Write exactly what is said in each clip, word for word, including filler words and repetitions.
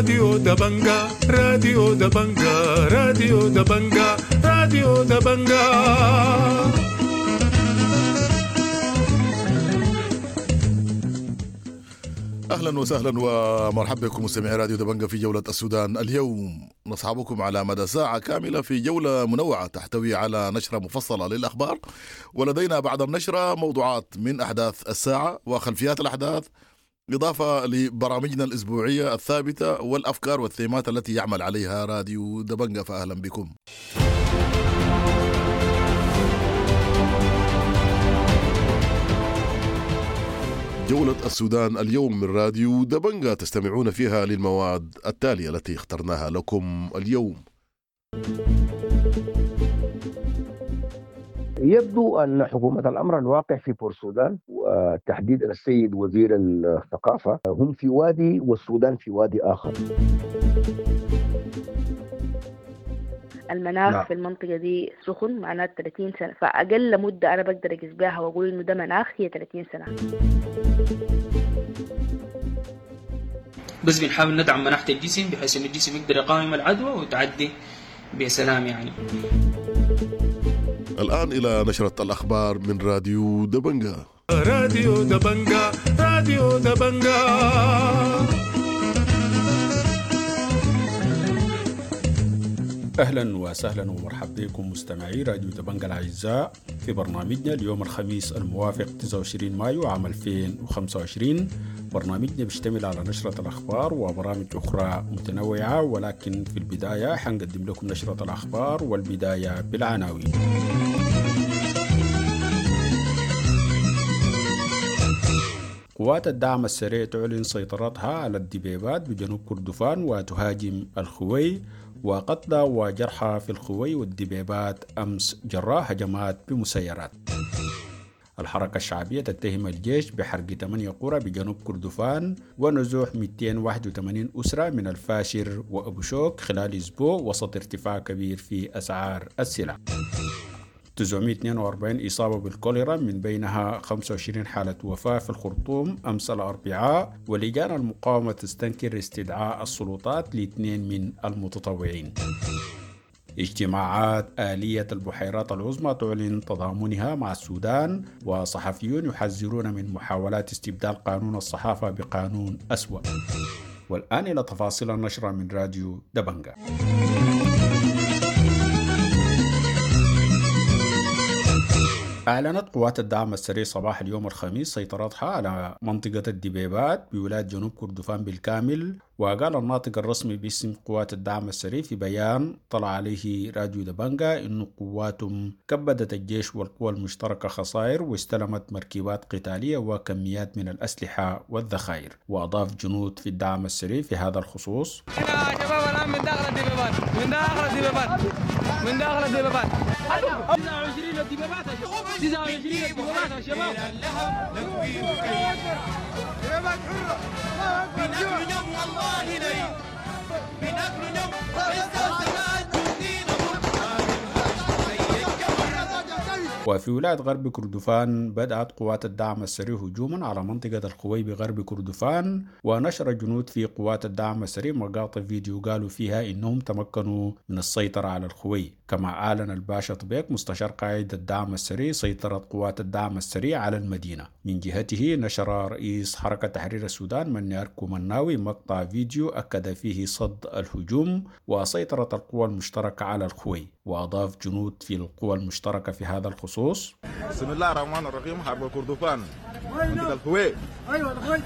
راديو دبنجا، راديو دبنجا، راديو دبنجا، راديو دبنجا. اهلا وسهلا ومرحبا بكم مستمعي راديو دبنجا في جولة السودان اليوم. نصحبكم على مدى ساعة كاملة في جولة منوعة تحتوي على نشرة مفصلة للأخبار، ولدينا بعد النشرة موضوعات من أحداث الساعة وخلفيات الأحداث، إضافة لبرامجنا الأسبوعية الثابتة والأفكار والثيمات التي يعمل عليها راديو دبنجا. فأهلا بكم. جولة السودان اليوم من راديو دبنجا تستمعون فيها للمواد التالية التي اخترناها لكم اليوم. يبدو أن حكومة الأمر الواقع في بورسودان وتحديدا السيد وزير الثقافة هم في وادي والسودان في وادي آخر. المناخ نعم. في المنطقة دي سخن، معناه ثلاثين سنة، فأقل مدة أنا بقدر أقيس بها وأقول إنه ده مناخ هي ثلاثين سنة. بس بنحاول ندعم مناعة الجسم بحيث إن الجسم يقدر يقاوم العدوى وتعدي بسلام يعني. الآن إلى نشرة الأخبار من راديو دبنجا. راديو دبنجا، راديو دبنجا. أهلا وسهلا ومرحبا بكم مستمعي راديو دبنجا الأعزاء في برنامجنا اليوم الخميس الموافق تسعة وعشرين مايو عام ألفين وخمسة وعشرين. برنامجنا بيشتمل على نشرة الأخبار وبرامج أخرى متنوعة، ولكن في البداية حنقدم لكم نشرة الأخبار والبداية بالعناوين. قوات الدعم السريع تعلن سيطرتها على الدبيبات بجنوب كردفان وتهاجم الخوي، وقتلى وجرحى في الخوي والدبيبات أمس جراء هجمات بمسيرات. الحركة الشعبية تتهم الجيش بحرق ثمانية قرى بجنوب كردفان ونزوح مئتين وواحد وثمانين أسرة من الفاشر وأبو شوك خلال أسبوع وسط ارتفاع كبير في أسعار السلع. تسعمائة واثنين وأربعين إصابة بالكوليرا من بينها خمسة وعشرين حالة وفاة في الخرطوم أمس الأربعاء، ولجان المقاومة تستنكر استدعاء السلطات لاثنين من المتطوعين. اجتماعات آلية البحيرات العظمى تعلن تضامنها مع السودان، وصحفيون يحذرون من محاولات استبدال قانون الصحافة بقانون أسوأ. والآن إلى تفاصيل النشرة من راديو دبنجا. أعلنت قوات الدعم السريع صباح اليوم الخميس سيطرتها على منطقة الدبيبات بولاية جنوب كردفان بالكامل. وقال الناطق الرسمي باسم قوات الدعم السريع في بيان طلع عليه راديو دبنجا إن قواتهم كبدت الجيش والقوى المشتركة خسائر واستلمت مركبات قتالية وكميات من الأسلحة والذخائر. وأضاف جنود في الدعم السريع في هذا الخصوص: يا شباب الآن من داخل الدبيبات، من داخل الدبيبات، من داخل الدبيبات، تسعة وعشرين الدبيبات، تسعة وعشرين الدبيبات يا شباب. دبيبات حرة، بناكل يوم والله لي، بناكل يوم. وفي ولاية غرب كردفان بدأت قوات الدعم السريع هجوما على منطقة الخوي بغرب كردفان، ونشر جنود في قوات الدعم السريع مقاطع فيديو قالوا فيها إنهم تمكنوا من السيطرة على الخوي. كما أعلن الباشا طبيق مستشار قائد الدعم السريع سيطرة قوات الدعم السريع على المدينة. من جهته نشر رئيس حركة تحرير السودان مني أركو مناوي مقطع فيديو أكد فيه صد الهجوم وسيطرة القوى المشتركة على الخوي. وأضاف جنود في القوى المشتركة في هذا الخصوص: بسم الله الرحمن الرحيم، حرب كردفان منطقة الخوي. ايوه الخوي،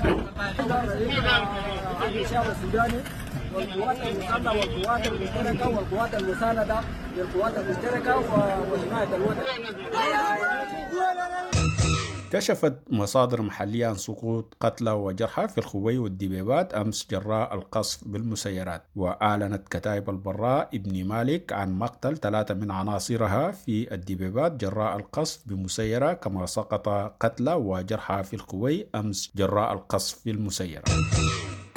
الشعب السوداني والقوات المسلحة والقوات المشتركة والقوات المساندة للقوات المشتركة وحماية الوطن. كشفت مصادر محلية عن سقوط قتلى وجرحى في الخوي والدبيبات أمس جراء القصف بالمسيرات. وأعلنت كتائب البراء ابن مالك عن مقتل ثلاثة من عناصرها في الدبيبات جراء القصف بمسيرة، كما سقط قتلى وجرحى في الخوي أمس جراء القصف بالمسيرة.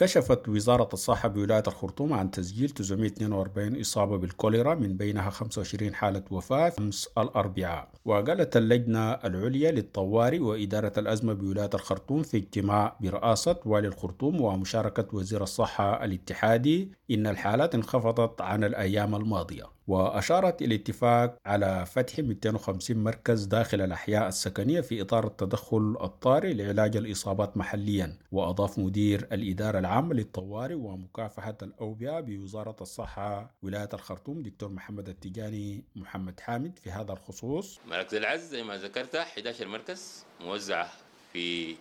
كشفت وزارة الصحة بولاية الخرطوم عن تسجيل تسعمية واثنين وأربعين إصابة بالكوليرا، من بينها خمسة وعشرين حالة وفاة أمس الأربعاء. وقالت اللجنة العليا للطوارئ وإدارة الأزمة بولاية الخرطوم في اجتماع برئاسة والي الخرطوم ومشاركة وزير الصحة الاتحادي إن الحالات انخفضت عن الأيام الماضية. وأشارت الاتفاق على فتح مئتين وخمسين مركز داخل الأحياء السكنية في إطار التدخل الطارئ لعلاج الإصابات محليا. وأضاف مدير الإدارة العامة للطوارئ ومكافحة الأوبئة بوزارة الصحة ولاية الخرطوم دكتور محمد التجاني محمد حامد في هذا الخصوص: مراكز العزل زي ما ذكرت أحد عشر مركز موزعة في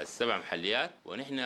السبع محليات، ونحن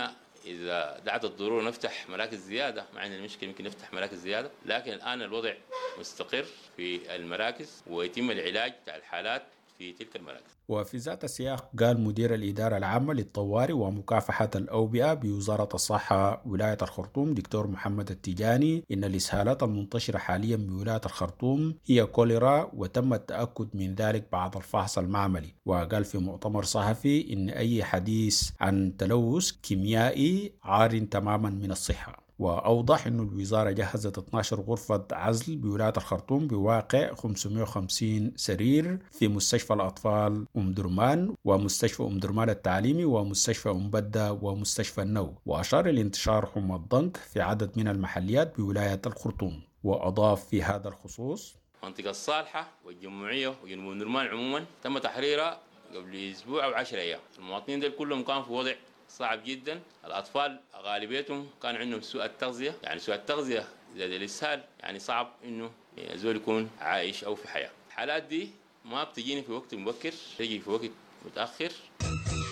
إذا دعت الضرورة نفتح مراكز زيادة، ما عندنا مشكلة يمكن نفتح مراكز زيادة، لكن الآن الوضع مستقر في المراكز ويتم العلاج تاع الحالات في تلك المراكز. وفي ذات السياق قال مدير الإدارة العامة للطوارئ ومكافحة الأوبئة بوزارة الصحة ولاية الخرطوم دكتور محمد التجاني إن الإسهالات المنتشرة حاليا بولاية الخرطوم هي كوليرا، وتم التأكد من ذلك بعد الفحص المعملي. وقال في مؤتمر صحفي إن أي حديث عن تلوث كيميائي عار تماما من الصحة. وأوضح أن الوزارة جهزت اثناشر غرفة عزل بولاية الخرطوم بواقع خمسمية وخمسين سرير في مستشفى الأطفال أم درمان ومستشفى أم درمان التعليمي ومستشفى أم بدة ومستشفى النو. وأشار لانتشار حمى الضنك في عدد من المحليات بولاية الخرطوم. وأضاف في هذا الخصوص: منطقة الصالحة والجموعية وجنوب أم درمان عموما تم تحريرها قبل أسبوع أو عشرة أيام. المواطنين دول كلهم كانوا في وضع صعب جدا. الأطفال غالبيتهم كان عندهم سوء التغذية، يعني سوء التغذية زي الإسهال، يعني صعب إنه زول يكون عايش أو في حياة. الحالات دي ما بتجيني في وقت مبكر، تجي في وقت متأخر.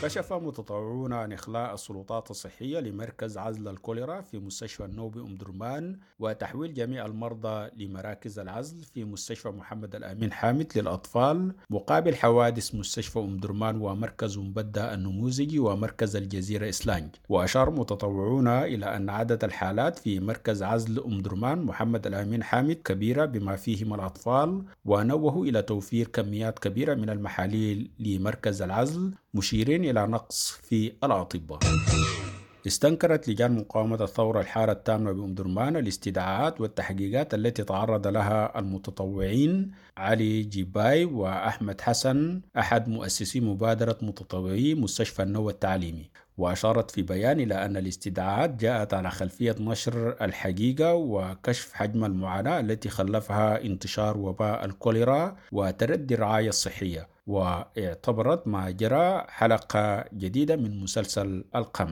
كشف متطوعون عن إخلاء السلطات الصحية لمركز عزل الكوليرا في مستشفى النوبي أم درمان وتحويل جميع المرضى لمراكز العزل في مستشفى محمد الأمين حامد للأطفال مقابل حوادث مستشفى أم درمان ومركز أم بدة النموذجي ومركز الجزيرة إسلانج. وأشار متطوعون إلى أن عدد الحالات في مركز عزل أم درمان محمد الأمين حامد كبيرة بما فيهم الأطفال، ونوهوا إلى توفير كميات كبيرة من المحاليل لمركز العزل، مشيرين إلى نقص في الأطباء. استنكرت لجان مقاومة الثورة الحارة التامة بأم درمان الاستدعاءات والتحقيقات التي تعرض لها المتطوعين علي جيباي وأحمد حسن أحد مؤسسي مبادرة متطوعي مستشفى النوى التعليمي. وأشارت في بيان إلى أن الاستدعاءات جاءت على خلفية نشر الحقيقة وكشف حجم المعاناة التي خلفها انتشار وباء الكوليرا وتردي الرعاية الصحية، واعتبرت ما جرى حلقة جديدة من مسلسل القمع.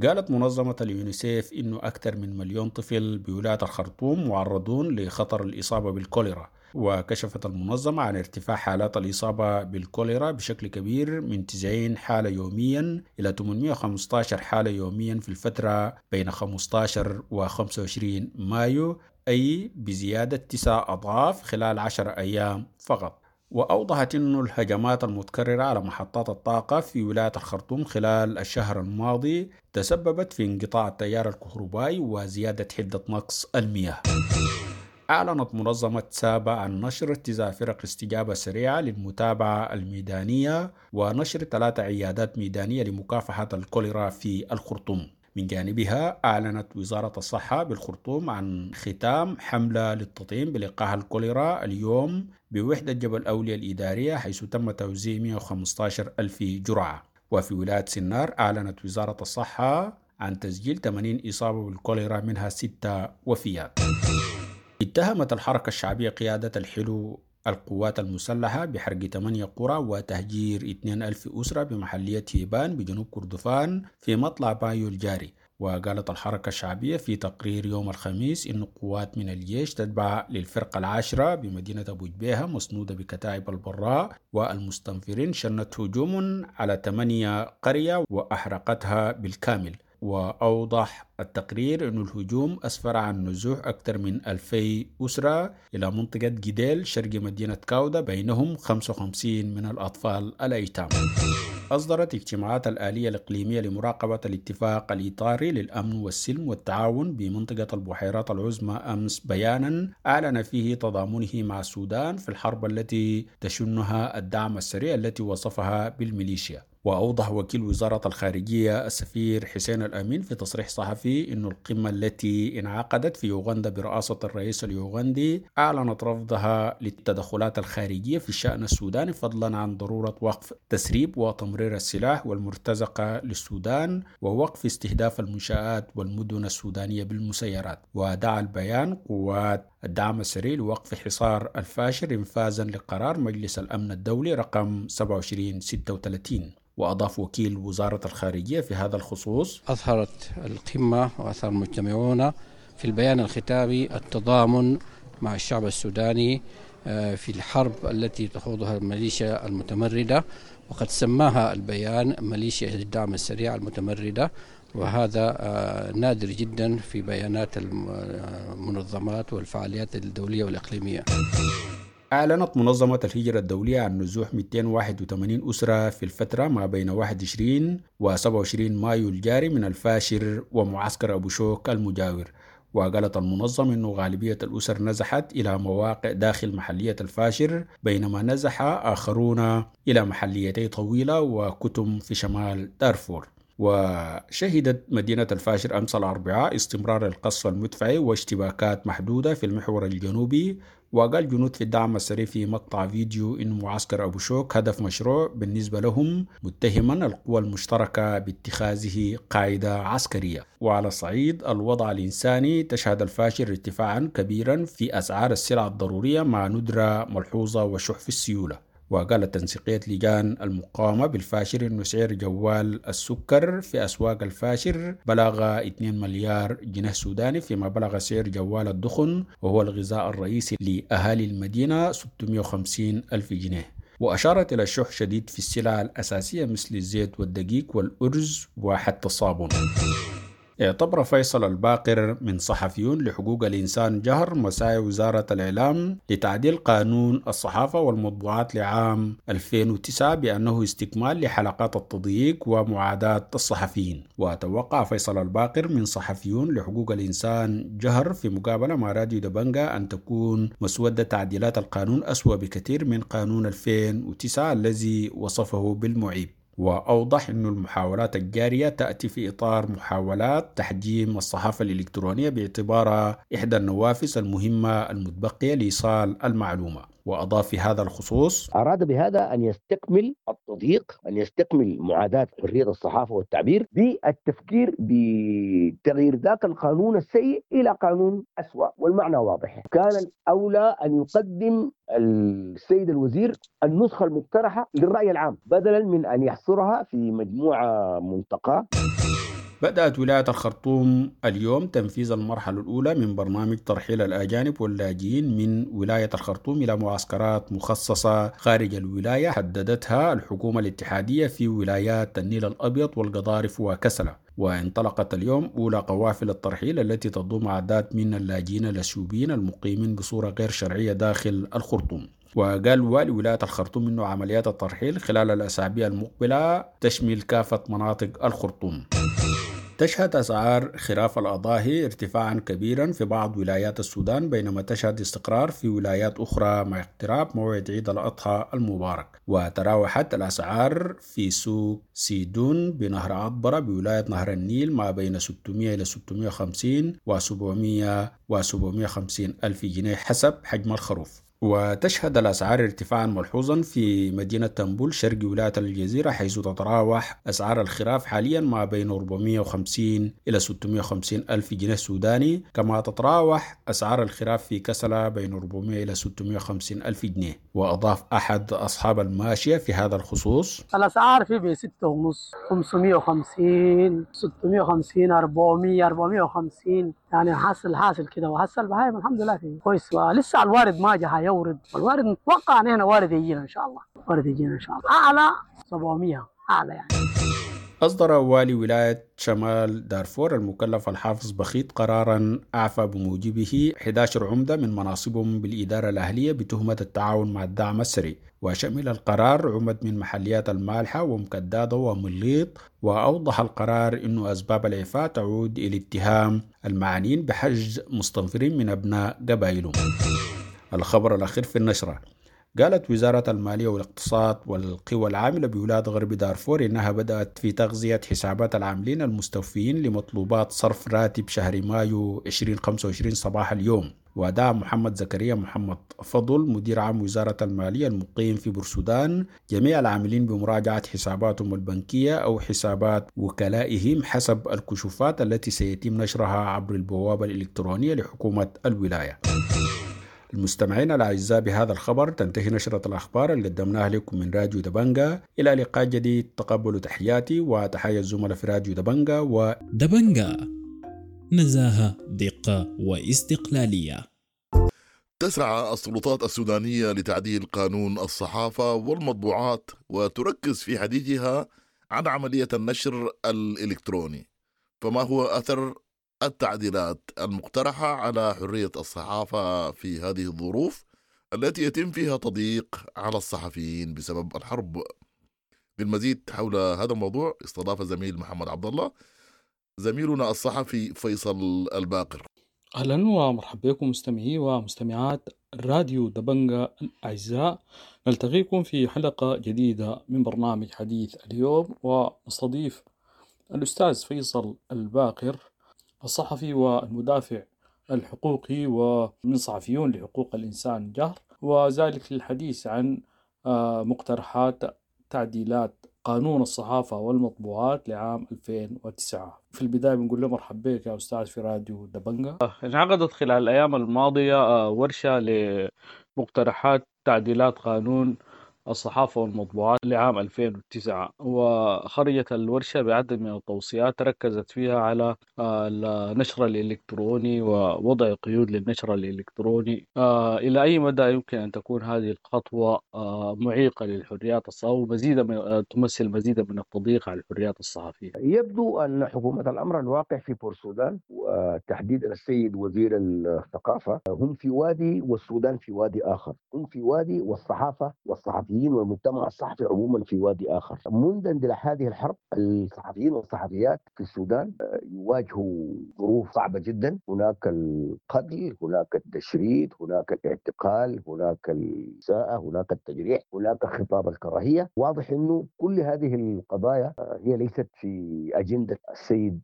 قالت منظمة اليونيسيف إنه أكثر من مليون طفل بولاية الخرطوم معرضون لخطر الإصابة بالكوليرا. وكشفت المنظمة عن ارتفاع حالات الإصابة بالكوليرا بشكل كبير من تسعين حالة يوميا إلى ثمانمئة وخمسة عشر حالة يوميا في الفترة بين خمسة عشر و خمسة وعشرين مايو، أي بزيادة تسع أضعاف خلال عشر أيام فقط. وأوضحت أن الهجمات المتكررة على محطات الطاقة في ولاية الخرطوم خلال الشهر الماضي تسببت في انقطاع التيار الكهربائي وزيادة حدة نقص المياه. أعلنت منظمة سابا عن نشر تسع فرق استجابة سريعة للمتابعة الميدانية ونشر ثلاث عيادات ميدانية لمكافحة الكوليرا في الخرطوم. من جانبها أعلنت وزارة الصحة بالخرطوم عن ختام حملة للتطعيم بلقاح الكوليرا اليوم بوحدة جبل أولياء الإدارية، حيث تم توزيع مئة وخمسة عشر ألف جرعة. وفي ولاية سنار أعلنت وزارة الصحة عن تسجيل ثمانين إصابة بالكوليرا، منها ستة وفيات. اتهمت الحركة الشعبية قيادة الحلو القوات المسلحة بحرق ثمانية قرى وتهجير اثنين ألف أسرة بمحلية هيبان بجنوب كردفان في مطلع مايو الجاري. وقالت الحركة الشعبية في تقرير يوم الخميس إن قوات من الجيش تتبع للفرقة العاشرة بمدينة أبو جبيهة مسنودة بكتائب البراء والمستنفرين شنت هجوم على ثمانية قرية وأحرقتها بالكامل. وأوضح التقرير أن الهجوم أسفر عن نزوح أكثر من ألفي أسرة إلى منطقة جديل شرق مدينة كاودا، بينهم خمسة وخمسين من الأطفال الأيتام. أصدرت اجتماعات الآلية الإقليمية لمراقبة الاتفاق الإطاري للأمن والسلم والتعاون بمنطقة البحيرات العظمى أمس بيانا أعلن فيه تضامنه مع السودان في الحرب التي تشنها الدعم السريع التي وصفها بالميليشيا. وأوضح وكيل وزارة الخارجية السفير حسين الأمين في تصريح صحفي أن القمة التي انعقدت في يوغندا برئاسة الرئيس اليوغندي أعلنت رفضها للتدخلات الخارجية في الشأن السوداني، فضلا عن ضرورة وقف تسريب وتمرير السلاح والمرتزقة للسودان ووقف استهداف المنشآت والمدن السودانية بالمسيرات. ودعا البيان قوات الدعم السريع لوقف حصار الفاشر انفاذا لقرار مجلس الأمن الدولي رقم سبعة وعشرين ستة وثلاثين. وأضاف وكيل وزارة الخارجية في هذا الخصوص: أظهرت القمة وأثر المجتمعون في البيان الختامي التضامن مع الشعب السوداني في الحرب التي تخوضها الميليشيا المتمردة، وقد سماها البيان ميليشيا الدعم السريع المتمردة، وهذا نادر جدا في بيانات المنظمات والفعاليات الدولية والإقليمية. أعلنت منظمة الهجرة الدولية عن نزوح مئتين وواحد وثمانين أسرة في الفترة ما بين واحد وعشرين و سبعة وعشرين مايو الجاري من الفاشر ومعسكر أبو شوك المجاور. وقالت المنظمة أنه غالبية الأسر نزحت إلى مواقع داخل محلية الفاشر، بينما نزح آخرون إلى محليتي طويلة وكتم في شمال دارفور. وشهدت مدينة الفاشر أمس الأربعاء استمرار القصف المدفعي واشتباكات محدودة في المحور الجنوبي. وقال جنود في الدعم السريع في مقطع فيديو إن معسكر أبو شوك هدف مشروع بالنسبة لهم، متهما القوى المشتركة باتخاذه قاعدة عسكرية. وعلى صعيد الوضع الإنساني، تشهد الفاشر ارتفاعا كبيرا في أسعار السلع الضرورية مع ندرة ملحوظة وشح في السيولة. وقالت تنسيقية لجان المقاومة بالفاشر أن سعر جوال السكر في أسواق الفاشر بلغ اثنين مليار جنيه سوداني، فيما بلغ سعر جوال الدخن وهو الغذاء الرئيسي لأهالي المدينة ستمئة وخمسين ألف جنيه. وأشارت إلى شح شديد في السلع الأساسية مثل الزيت والدقيق والأرز وحتى الصابون. اعتبر فيصل الباقر من صحفيون لحقوق الإنسان جهر مساعي وزارة الإعلام لتعديل قانون الصحافة والمطبوعات لعام ألفين وتسعة بأنه استكمال لحلقات التضييق ومعاداة الصحفيين. وتوقع فيصل الباقر من صحفيون لحقوق الإنسان جهر في مقابلة مع راديو دبنجا أن تكون مسودة تعديلات القانون أسوأ بكثير من قانون ألفين وتسعة الذي وصفه بالمعيب. وأوضح أن المحاولات الجارية تأتي في إطار محاولات تحجيم الصحافة الإلكترونية باعتبارها إحدى النوافذ المهمة المتبقية لإيصال المعلومة. وأضاف في هذا الخصوص: أراد بهذا أن يستكمل التضييق، أن يستكمل معاداة حرية الصحافة والتعبير بالتفكير بتغيير ذاك القانون السيء إلى قانون أسوأ، والمعنى واضح. كان الأولى أن يقدم السيد الوزير النسخة المقترحة للرأي العام بدلا من أن يحصرها في مجموعة منتقاة. بدأت ولاية الخرطوم اليوم تنفيذ المرحلة الأولى من برنامج ترحيل الأجانب واللاجئين من ولاية الخرطوم إلى معسكرات مخصصة خارج الولاية حددتها الحكومة الاتحادية في ولايات النيل الأبيض والقضارف وكسلة. وانطلقت اليوم أولى قوافل الترحيل التي تضم أعداد من اللاجئين الأثيوبيين المقيمين بصورة غير شرعية داخل الخرطوم. وقال والي ولاية الخرطوم أنه عمليات الترحيل خلال الأسابيع المقبلة تشمل كافة مناطق الخرطوم. تشهد أسعار خراف الأضاحي ارتفاعا كبيرا في بعض ولايات السودان، بينما تشهد استقرار في ولايات أخرى مع اقتراب موعد عيد الأضحى المبارك. وتراوحت الأسعار في سوق سيدون بنهر عطبرة بولاية نهر النيل ما بين ستمئة إلى ستمئة وخمسين وسبعمئة وسبعمئة وخمسين ألف جنيه حسب حجم الخروف. وتشهد الأسعار ارتفاعا ملحوظا في مدينة تنبول شرق ولاية الجزيرة، حيث تتراوح أسعار الخراف حاليا ما بين أربعمئة وخمسين إلى ستمئة وخمسين ألف جنيه سوداني، كما تتراوح أسعار الخراف في كسلة بين أربعمئة إلى ستمئة وخمسين ألف جنيه. وأضاف أحد أصحاب الماشية في هذا الخصوص: الأسعار في بستة ونص، خمسمئة وخمسين، ستمئة وخمسين، أربعمئة، أربعمئة وخمسين، يعني حاصل حاصل كده. وحصل بهايم الحمد لله فيه كويس، ولسه الوارد ما جه يورد، والوارد نتوقع ان احنا وارد يجينا ان شاء الله، وارد يجينا ان شاء الله اعلى سبعمئة اعلى يعني. أصدر والي ولاية شمال دارفور المكلف الحافظ بخيت قرارا أعفى بموجبه إحدى عشر عمدة من مناصبهم بالإدارة الأهلية بتهمة التعاون مع الدعم السريع، وشمل القرار عمد من محليات المالحة ومكدادة ومليط. وأوضح القرار أن أسباب الإعفاء تعود إلى اتهام المعنيين بحجز مستنفرين من أبناء قبائلهم. الخبر الأخير في النشرة: قالت وزارة المالية والاقتصاد والقوى العاملة بولاية غرب دارفور إنها بدأت في تغذية حسابات العاملين المستوفيين لمطلوبات صرف راتب شهر مايو ألفين وخمسة وعشرين صباح اليوم. ودعا محمد زكريا محمد فضل مدير عام وزارة المالية المقيم في بورسودان جميع العاملين بمراجعة حساباتهم البنكية أو حسابات وكلائهم حسب الكشوفات التي سيتم نشرها عبر البوابة الإلكترونية لحكومة الولاية. المستمعين الأعزاء، بهذا الخبر تنتهي نشرة الأخبار اللي قدمناها لكم من راديو دبنجا. إلى لقاء جديد، تقبلوا تحياتي وتحيا الزملاء في راديو دبنجا. و دبنجا، نزاهة، دقة واستقلالية. تسعى السلطات السودانية لتعديل قانون الصحافة والمطبوعات وتركز في حديثها عن عملية النشر الإلكتروني، فما هو أثر التعديلات المقترحة على حرية الصحافة في هذه الظروف التي يتم فيها تضييق على الصحفيين بسبب الحرب؟ للمزيد حول هذا الموضوع استضاف زميل محمد عبد الله زميلنا الصحفي فيصل الباقر. أهلا ومرحبا بكم مستمعي ومستمعات راديو دبنجا الأعزاء، نلتقيكم في حلقة جديدة من برنامج حديث اليوم، ونستضيف الأستاذ فيصل الباقر الصحفي والمدافع الحقوقي ومن صحفيون لحقوق الإنسان جهر، وذلك للحديث عن مقترحات تعديلات قانون الصحافة والمطبوعات لعام ألفين وتسعة. في البداية بنقول له مرحبا بك يا أستاذ في راديو دبنجا. انعقدت خلال الأيام الماضية ورشة لمقترحات تعديلات قانون الصحافة والمطبوعات لعام ألفين وتسعة، وخرجت الورشة بعدد من التوصيات ركزت فيها على النشر الإلكتروني ووضع قيود للنشر الإلكتروني. إلى أي مدى يمكن أن تكون هذه الخطوة معيقة للحريات الصحفية ومزيدا من تمثل مزيدا من التضييق على الحريات الصحفية؟ يبدو أن حكومة الأمر الواقع في بورسودان وتحديدا السيد وزير الثقافة هم في وادي والسودان في وادي آخر، هم في وادي والصحافة والصحفيين والمجتمع الصحفي عموما في وادي آخر. منذ اندلاع هذه الحرب الصحفيين والصحفيات في السودان يواجهوا ظروف صعبة جدا، هناك القتل، هناك التشريد، هناك الاعتقال، هناك الإساءة، هناك التجريح، هناك خطاب الكراهية. واضح أنه كل هذه القضايا هي ليست في أجندة السيد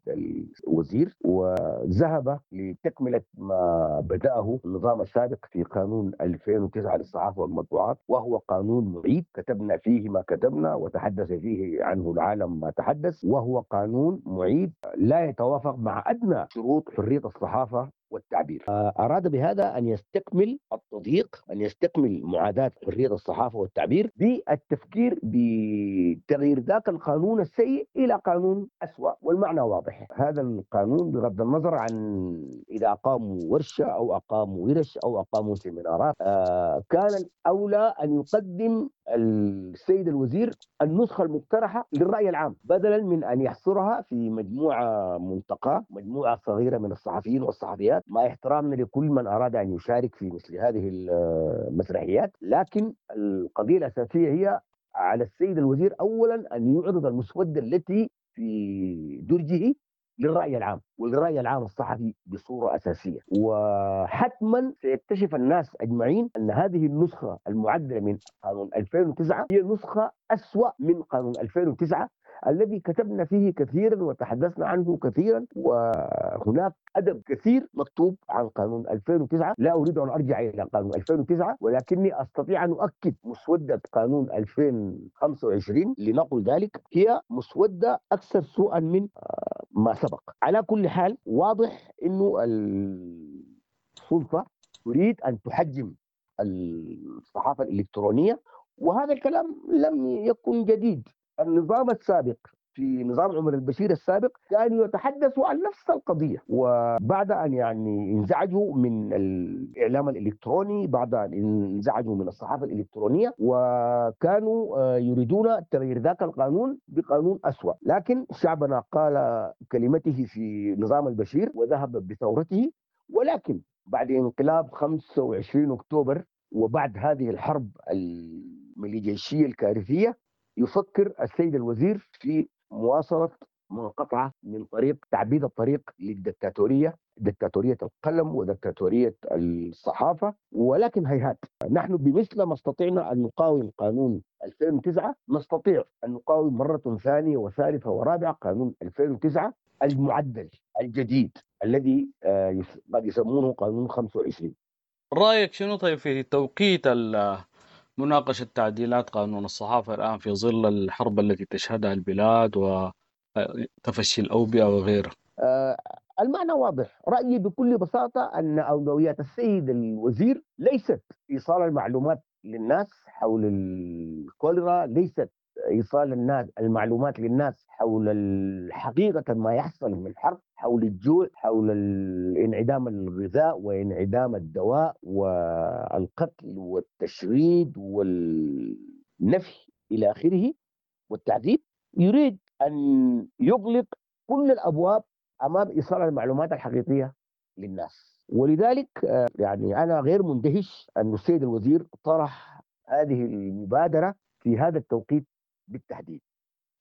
الوزير، وذهب لتكملة ما بدأه النظام السابق في قانون ألفين وتسعة للصحافة والمطبوعات، وهو قانون معيب كتبنا فيه ما كتبنا وتحدث فيه عنه العالم ما تحدث، وهو قانون معيب لا يتوافق مع أدنى شروط حرية الصحافة والتعبير. أراد بهذا أن يستكمل التضييق، أن يستكمل معاداة حرية الصحافة والتعبير بالتفكير بتغيير ذاك القانون السيء إلى قانون أسوأ، والمعنى واضح. هذا القانون بغض النظر عن إذا أقاموا ورشة أو أقاموا ورش أو أقاموا سيمينارات، كان الأولى أن يقدم السيد الوزير النسخة المقترحة للرأي العام بدلا من أن يحصرها في مجموعة منتقاة، مجموعة صغيرة من الصحفيين والصحفيات، مع احترامنا لكل من أراد أن يشارك في مثل هذه المسرحيات. لكن القضية الأساسية هي على السيد الوزير أولا أن يعرض المسودة التي في درجه للرأي العام وللرأي العام الصحفي بصورة أساسية، وحتما سيكتشف الناس أجمعين أن هذه النسخة المعدلة من قانون ألفين وتسعة هي نسخة أسوأ من قانون ألفين وتسعة الذي كتبنا فيه كثيرا وتحدثنا عنه كثيرا، وهناك أدب كثير مكتوب عن قانون ألفين وتسعة. لا أريد أن أرجع إلى قانون ألفين وتسعة، ولكني أستطيع أن أؤكد مسودة قانون ألفين وخمسة وعشرين لنقل ذلك هي مسودة أكثر سوءا من ما سبق. على كل حال واضح أنه السلطة تريد أن تحجم الصحافة الإلكترونية، وهذا الكلام لم يكن جديد. النظام السابق في نظام عمر البشير السابق كانوا يتحدثوا عن نفس القضية، وبعد أن يعني انزعجوا من الإعلام الإلكتروني، بعد أن انزعجوا من الصحافة الإلكترونية، وكانوا يريدون تغيير ذاك القانون بقانون أسوأ. لكن شعبنا قال كلمته في نظام البشير وذهب بثورته. ولكن بعد انقلاب خمسة وعشرين أكتوبر وبعد هذه الحرب الميليشية الكارثية، يفكر السيد الوزير في مواصلة منقطعة من طريق تعبيد الطريق للدكتاتورية، دكتاتورية القلم ودكتاتورية الصحافة. ولكن هيهات، نحن بمثل ما استطعنا أن نقاوم قانون ألفين وتسعة نستطيع أن نقاوم مرة ثانية وثالثة ورابعة قانون ألفين وتسعة المعدل الجديد الذي قد يسمونه قانون خمسة وعشرين. رأيك شنو طيب في توقيت مناقشة تعديلات قانون الصحافة الآن في ظل الحرب التي تشهدها البلاد وتفشي الأوبئة وغيره؟ آه المعنى واضح. رأيي بكل بساطة أن أولويات السيد الوزير ليست إيصال المعلومات للناس حول الكوليرا، ليست إيصال الناس المعلومات للناس حول الحقيقة ما يحصل من حرب، حول الجوع، حول انعدام الغذاء وانعدام الدواء والقتل والتشريد والنفي إلى آخره والتعذيب. يريد أن يغلق كل الأبواب أمام إيصال المعلومات الحقيقية للناس. ولذلك يعني أنا غير مندهش أن السيد الوزير طرح هذه المبادرة في هذا التوقيت بالتحديد.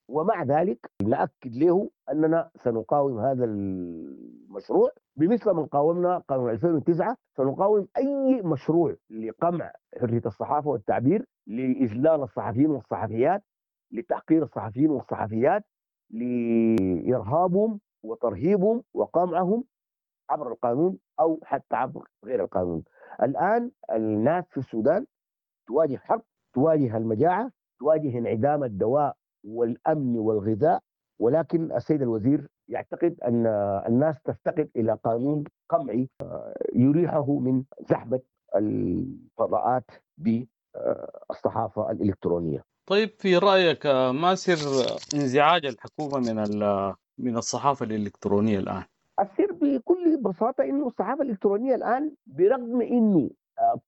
ومع ذلك نأكد له أننا سنقاوم هذا المشروع بمثل ما قاومنا قانون ألفين وتسعة. سنقاوم أي مشروع لقمع حرية الصحافة والتعبير، لإذلال الصحفيين والصحفيات، لتحقير الصحفيين والصحفيات، لإرهابهم وترهيبهم وقمعهم عبر القانون أو حتى عبر غير القانون. الآن الناس في السودان تواجه حرب، تواجه المجاعة، تواجه انعدام الدواء والأمن والغذاء، ولكن السيد الوزير يعتقد أن الناس تفتقد إلى قانون قمعي يريحه من زحمة الفضاءات بالصحافة الإلكترونية. طيب في رأيك ما سر انزعاج الحكومة من من الصحافة الإلكترونية الآن؟ السر بكل بساطة إنه الصحافة الإلكترونية الآن برغم إنه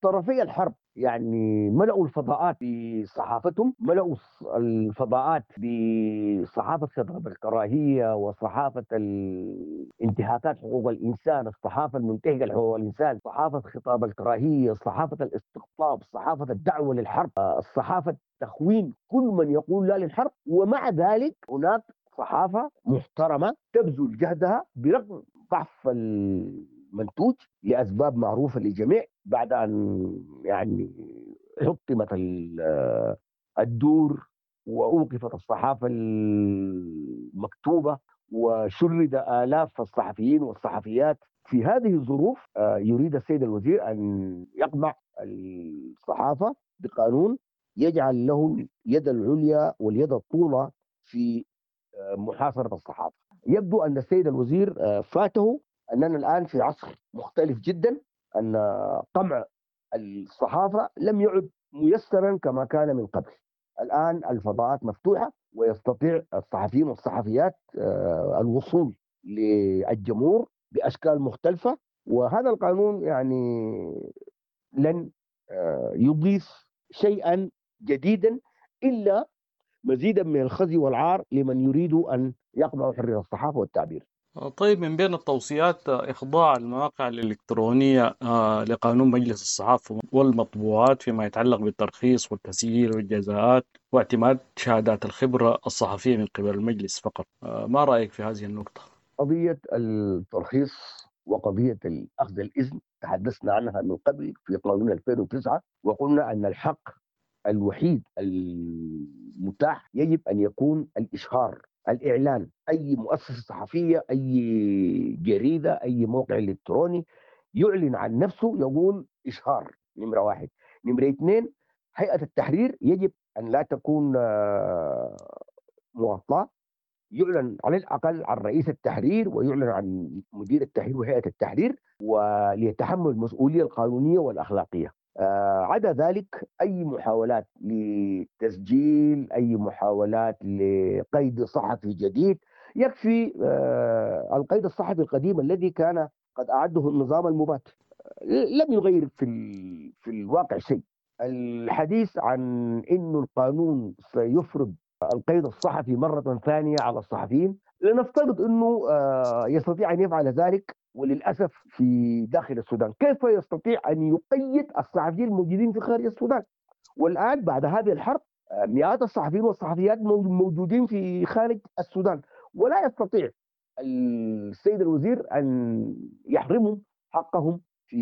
طرفي الحرب يعني ملأوا الفضاءات بصحافتهم، ملأوا الفضاءات بصحافة خطاب الكراهية وصحافة الانتهاكات حقوق الإنسان، الصحافة المنتهكة لحقوق الإنسان، صحافة خطاب الكراهية، صحافة الاستقطاب، صحافة الدعوة للحرب، الصحافة تخوين كل من يقول لا للحرب. ومع ذلك هناك صحافة محترمة تبذل جهدها برغم ضعف المنتوج لأسباب معروفة للجميع، بعد أن يعني حطمت الدور وأوقفت الصحافة المكتوبة وشرد آلاف الصحفيين والصحفيات. في هذه الظروف يريد السيد الوزير أن يقمع الصحافة بقانون يجعل له اليد العليا واليد الطولى في محاصرة الصحافة. يبدو أن السيد الوزير فاته أننا الآن في عصر مختلف جدا، أن قمع الصحافة لم يعد ميسرا كما كان من قبل. الآن الفضاءات مفتوحة ويستطيع الصحفيين والصحفيات الوصول للجمهور بأشكال مختلفة، وهذا القانون يعني لن يضيف شيئا جديدا إلا مزيدا من الخزي والعار لمن يريد أن يقمع حرية الصحافة والتعبير. طيب من بين التوصيات إخضاع المواقع الإلكترونية لقانون مجلس الصحافة والمطبوعات فيما يتعلق بالترخيص والتسجيل والجزاءات واعتماد شهادات الخبرة الصحفية من قبل المجلس فقط. ما رأيك في هذه النقطة؟ قضية الترخيص وقضية أخذ الإذن تحدثنا عنها من قبل في قانون ألفين وتسعة، وقلنا أن الحق الوحيد المتاح يجب أن يكون الإشهار، الإعلان. أي مؤسسة صحفية، أي جريدة، أي موقع إلكتروني يعلن عن نفسه يقول إشهار، نمرة واحد. نمرة اثنين، هيئة التحرير يجب أن لا تكون مغطاة، يعلن على الأقل عن رئيس التحرير ويعلن عن مدير التحرير وهيئة التحرير، وليتحمل المسؤولية القانونية والأخلاقية. عدا ذلك أي محاولات لتسجيل، أي محاولات لقيد صحفي جديد، يكفي القيد الصحفي القديم الذي كان قد أعده النظام المبات، لم يغير في في الواقع شيء. الحديث عن أن القانون سيفرض القيد الصحفي مرة ثانية على الصحفيين، لنفترض أنه يستطيع أن يفعل ذلك، وللأسف في داخل السودان كيف يستطيع أن يقيد الصحفيين الموجودين في خارج السودان؟ والآن بعد هذه الحرب مئات الصحفيين والصحفيات موجودين في خارج السودان، ولا يستطيع السيد الوزير أن يحرمهم حقهم في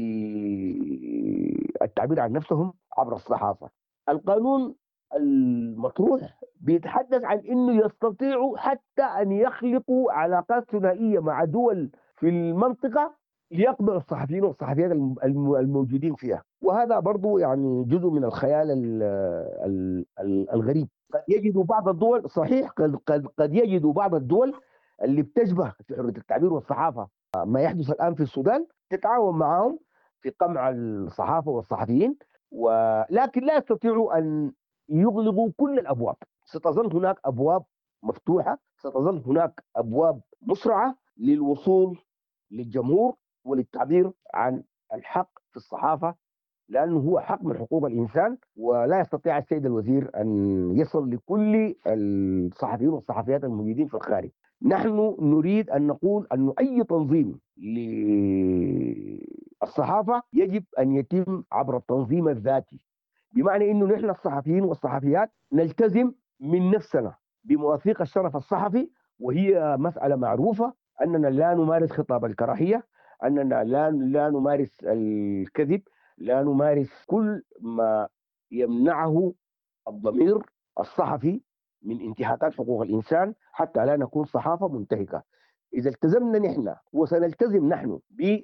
التعبير عن نفسهم عبر الصحافة. القانون المطروح بيتحدث عن أنه يستطيعوا حتى أن يخلقوا علاقات ثنائية مع دول في المنطقة ليقبعوا الصحفيين والصحفيات الموجودين فيها، وهذا برضو يعني جزء من الخيال الغريب. قد يجدوا بعض الدول، صحيح قد, قد, قد يجدوا بعض الدول اللي بتشبه في حرية التعبير والصحافة ما يحدث الآن في السودان، تتعاون معهم في قمع الصحافة والصحفيين، ولكن لا يستطيعوا أن يغلقوا كل الأبواب. ستظل هناك أبواب مفتوحة، ستظل هناك أبواب مسرعة للوصول للجمهور وللتعبير عن الحق في الصحافة، لأنه هو حق من حقوق الإنسان، ولا يستطيع السيد الوزير أن يصل لكل الصحفيين والصحفيات الموجودين في الخارج. نحن نريد أن نقول أن أي تنظيم للصحافة يجب أن يتم عبر التنظيم الذاتي، بمعنى أنه نحن الصحفيين والصحفيات نلتزم من نفسنا بمواثيق الشرف الصحفي، وهي مسألة معروفة أننا لا نمارس خطاب الكراهية، أننا لا لا نمارس الكذب، لا نمارس كل ما يمنعه الضمير الصحفي من انتهاكات حقوق الإنسان، حتى لا نكون صحافة منتهكة. إذا التزمنا نحن، وسنلتزم نحن في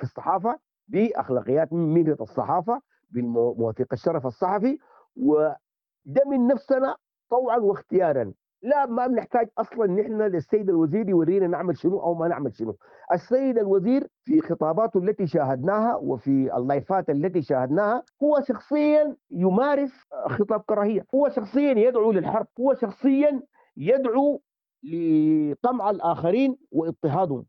الصحافة بأخلاقيات مهنة الصحافة، بمواثيق الشرف الصحفي، وده من نفسنا طوعا واختيارا. لا، ما بنحتاج اصلا نحن للسيد الوزير يورينا نعمل شنو او ما نعمل شنو. السيد الوزير في خطاباته التي شاهدناها وفي اللايفات التي شاهدناها هو شخصيا يمارس خطاب كراهية، هو شخصيا يدعو للحرب، هو شخصيا يدعو لقمع الاخرين واضطهادهم.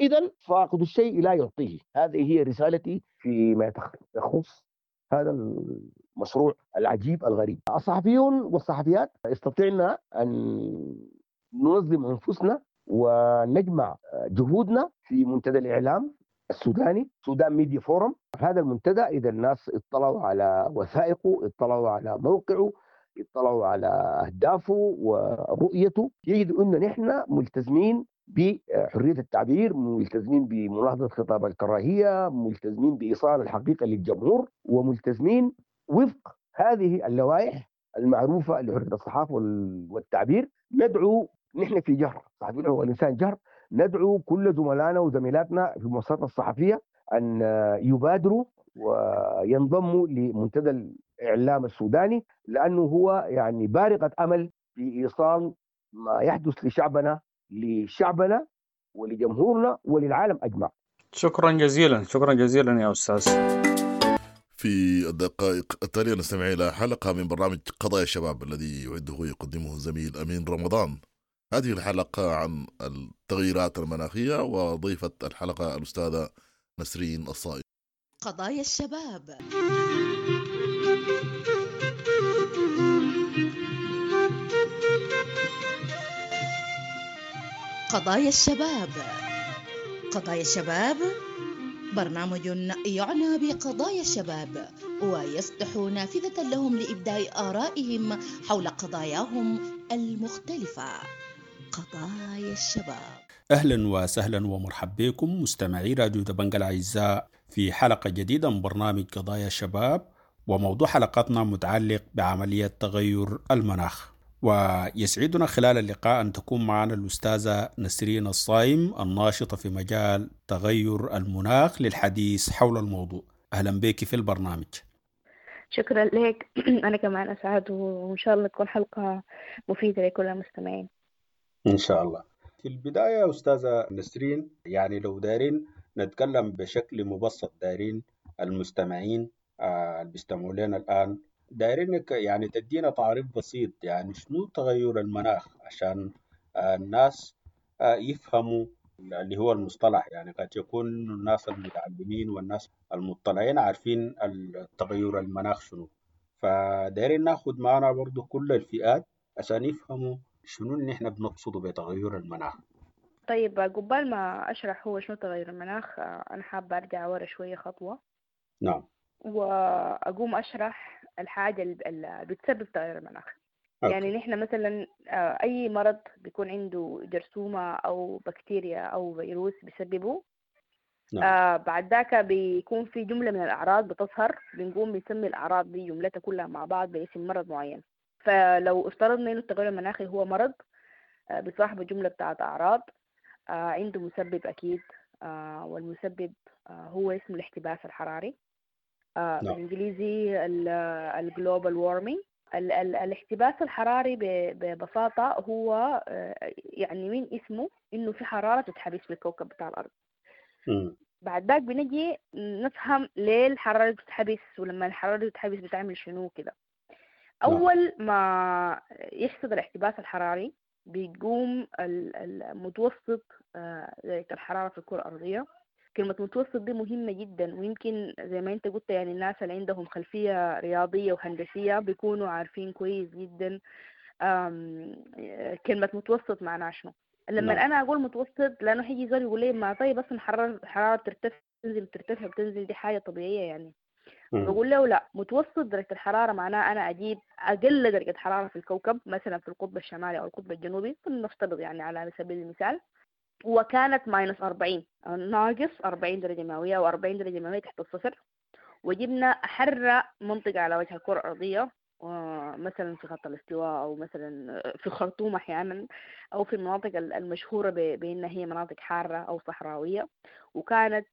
اذا فاقد الشيء لا يعطيه. هذه هي رسالتي فيما يخص هذا المشروع العجيب الغريب. الصحفيون والصحفيات استطعنا أن ننظم أنفسنا ونجمع جهودنا في منتدى الإعلام السوداني، سودان ميديا فورم. هذا المنتدى إذا الناس اطلعوا على وثائقه، اطلعوا على موقعه، اطلعوا على أهدافه ورؤيته، يجدوا أن نحن ملتزمين بحرية التعبير، ملتزمين بمناهضة خطاب الكراهية، ملتزمين بإيصال الحقيقة للجمهور، وملتزمين وفق هذه اللوائح المعروفة لحرية الصحافة والتعبير. ندعو نحن في جهر صحفيين حقوق الإنسان جهر، ندعو كل زملائنا وزميلاتنا في المؤسسات الصحفية أن يبادروا وينضموا لمنتدى الإعلام السوداني، لأنه هو يعني بارقة أمل في إيصال ما يحدث لشعبنا لشعبنا ولجمهورنا وللعالم أجمع. شكرا جزيلا، شكرا جزيلا يا أستاذ. في الدقائق التالية نستمع إلى حلقة من برنامج قضايا الشباب الذي يعده ويقدمه الزميل أمين رمضان. هذه الحلقة عن التغييرات المناخية، وضيفة الحلقة الأستاذة نسرين الصائم. قضايا الشباب. قضايا الشباب، قضايا الشباب برنامج يعنى بقضايا الشباب ويفتح نافذة لهم لإبداء آرائهم حول قضاياهم المختلفة. قضايا الشباب. أهلا وسهلا ومرحبا بكم مستمعي راديو دبنجا الأعزاء في حلقة جديدة من برنامج قضايا الشباب، وموضوع حلقتنا متعلق بعملية تغير المناخ. ويسعدنا خلال اللقاء أن تكون معنا الأستاذة نسرين الصايم الناشطة في مجال تغير المناخ للحديث حول الموضوع. أهلا بك في البرنامج. شكرا لك. أنا كمان أسعد، وإن شاء الله تكون حلقة مفيدة لكل المستمعين إن شاء الله. في البداية أستاذة نسرين، يعني لو دارين نتكلم بشكل مبسط، دارين المستمعين آه اللي بيستمعوا لنا الآن، دايرينك يعني تدينا تعريف بسيط يعني شنو تغير المناخ عشان آه الناس آه يفهموا اللي هو المصطلح. يعني قد يكون الناس المتعلمين والناس المطلعين عارفين التغير المناخ شنو، فدايرين ناخد معنا برضو كل الفئات عشان يفهموا شنو اللي احنا بنقصده بتغير المناخ. طيب قبل ما أشرح هو شنو تغير المناخ، أنا حابة أرجع ورا شوية خطوة. نعم. وأقوم أشرح الحاجة اللي بتسبب تغير المناخ. okay. يعني نحن مثلا أي مرض بيكون عنده جرثومة أو بكتيريا أو فيروس بيسببه. نعم. آه بعد ذاك بيكون في جملة من الأعراض بتظهر، بنقوم بنسمي الأعراض دي جملتها كلها مع بعض باسم مرض معين. فلو افترضنا إنه التغير المناخي هو مرض آه بصاحبه جملة بتاعت أعراض، آه عنده مسبب أكيد، آه والمسبب آه هو اسمه الاحتباس الحراري، آه نعم. بالإنجليزي ال global warming. ال ال الاحتباس الحراري ببساطة هو يعني من اسمه إنه في حرارة تتحبس في الكوكب بتاع الأرض. م. بعد ذاك بنجي نفهم ليه الحرارة بتتحبس، ولما الحرارة بتتحبس بتعمل شنو كده. أول ما يحصل الاحتباس الحراري بيقوم المتوسط درجة الحرارة في الكرة الأرضية. كلمة متوسط دي مهمة جدا، ويمكن زي ما انت قلت يعني الناس اللي عندهم خلفية رياضية وهندسية بيكونوا عارفين كويس جدا كلمة متوسط معناها شنو. لما نعم. انا اقول متوسط، لانه حيجي زول يقول لي ما طيب اصلا حرارة حرارة ترتفع تنزل ترتفع بتنزل، دي حاجة طبيعية يعني. مم. بقول له لا، متوسط درجة الحرارة معناه أنا أجيب أقل درجة حرارة في الكوكب مثلا في القطب الشمالي أو القطب الجنوبي، نفترض يعني على سبيل المثال، وكانت minus أربعين، ناقص أربعين درجة مئوية أو أربعين درجة مئوية تحت الصفر، وجبنا أحر منطقة على وجه الكرة الأرضية مثلا في خط الاستواء أو مثلا في الخرطوم أحيانا، أو في المناطق المشهورة بأنها هي مناطق حارة أو صحراوية، وكانت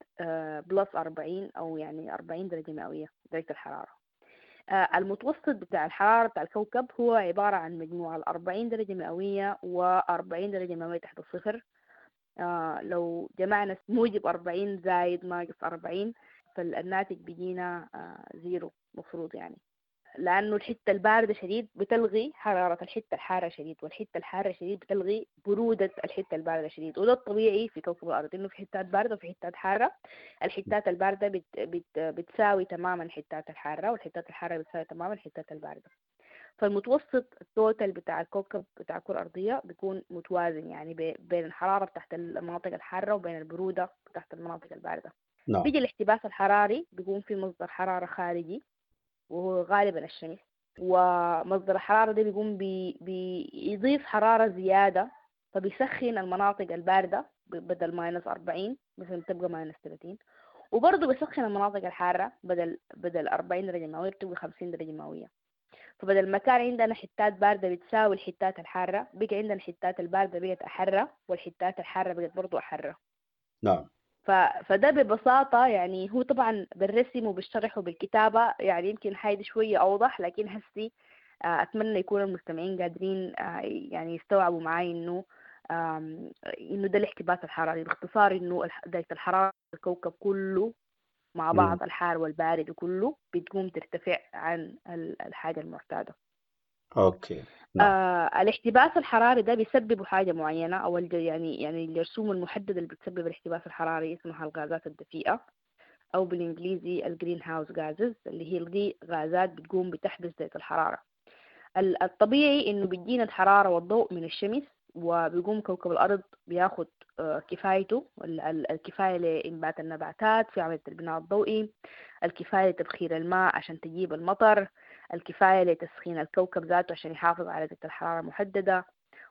plus أربعين أو يعني أربعين درجة مئوية درجة الحرارة. المتوسط بتاع الحرارة بتاع الكوكب هو عبارة عن مجموع الأربعين درجة مئوية وأربعين درجة مئوية تحت الصفر. لو جمعنا موجب أربعين زايد ناقص أربعين فالناتج بيجينا zero مفروض يعني، لأنه الحتة الباردة شديد بتلغي حرارة الحتة الحارة شديد، والحتة الحارة شديد بتلغي برودة الحتة الباردة شديد. وده الطبيعي في كوكب الأرض، إنه في حتات باردة وفي حتات حارة. الحتات الباردة بت بت بتساوي تماما الحتات الحارة، والحتات الحارة بتساوي تماما الحتات الباردة. فالمتوسط ال total بتاع الكوكب بتاع الكرة الأرضية بيكون متوازن يعني بين الحرارة بتاعت المناطق الحارة وبين البرودة بتاعت المناطق الباردة. نعم. بيجي الاحتباس الحراري بيكون في مصدر حرارة خارجي وهو غالبا الشمس، ومصدر الحرارة ده بيقوم بي بيضيف حرارة زيادة، فبيسخن المناطق الباردة بدل minus أربعين مثلا تبقى minus ثلاثين، وبرضه بيسخن المناطق الحارة بدل بدل أربعين درجة مئوية بتبقى خمسين درجة مئوية. فبدل ما كان عندنا حتات باردة بتساوي الحتات الحارة، بقى عندنا الحتات الباردة بقت أحرة، والحتات الحارة بقت برضه أحرة. نعم. ف... فده ببساطة يعني هو طبعا بالرسم وبالشرح وبالكتابة يعني يمكن حاجة شوية أوضح، لكن هسي أتمنى يكون المستمعين قادرين يعني يستوعبوا معاي إنه إنه ده الاحتباس الحراري باختصار، إنه درجة الحرارة الكوكب كله مع بعض الحار والبارد وكله بتقوم ترتفع عن الحاجة المعتادة. okay. نعم. آه الاحتباس الحراري ده بيسبب حاجة معينة أو يعني يعني الجرثومة المحددة اللي بتسبب الاحتباس الحراري اسمها الغازات الدفيئة، أو بالإنجليزي ال greenhouse gases، اللي هي دي غازات بتقوم بتحبس درجة الحرارة. الطبيعي إنه بتجينا الحرارة والضوء من الشمس، وبيقوم كوكب الأرض بياخد كفايته، الكفاية لإنبات النباتات في عملية البناء الضوئي، الكفاية لتبخير الماء عشان تجيب المطر، الكفاية لتسخين الكوكب ذاته عشان يحافظ على درجة الحرارة المحددة،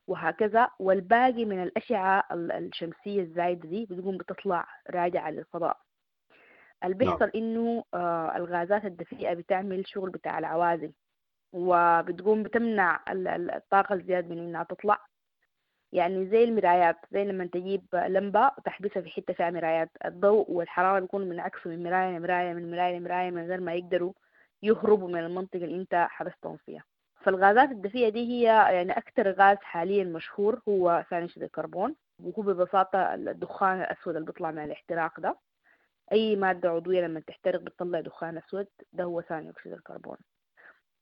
وهكذا. والباقي من الأشعة الشمسية الزايدة دي بتقوم بتطلع راجعة للفضاء. اللي بيحصل إنه الغازات الدفيئة بتعمل شغل بتاع العوازل، وبتقوم بتمنع الطاقة الزيادة من إنها تطلع، يعني زي المرايات، زي لما تجيب لمبة وتحبسها في حتة فيها مرايات، الضوء والحرارة بيكونوا منعكسوا من مراية لمراية من مراية لمراية من غير ما يقدروا يهربوا من المنطقة اللي انت حبستهم فيها. فالغازات الدفيئة دي هي يعني أكثر غاز حاليا مشهور هو ثاني أكسيد الكربون، وهو ببساطة الدخان الأسود اللي بيطلع من الاحتراق ده. أي مادة عضوية لما تحترق بتطلع دخان أسود، ده هو ثاني أكسيد الكربون.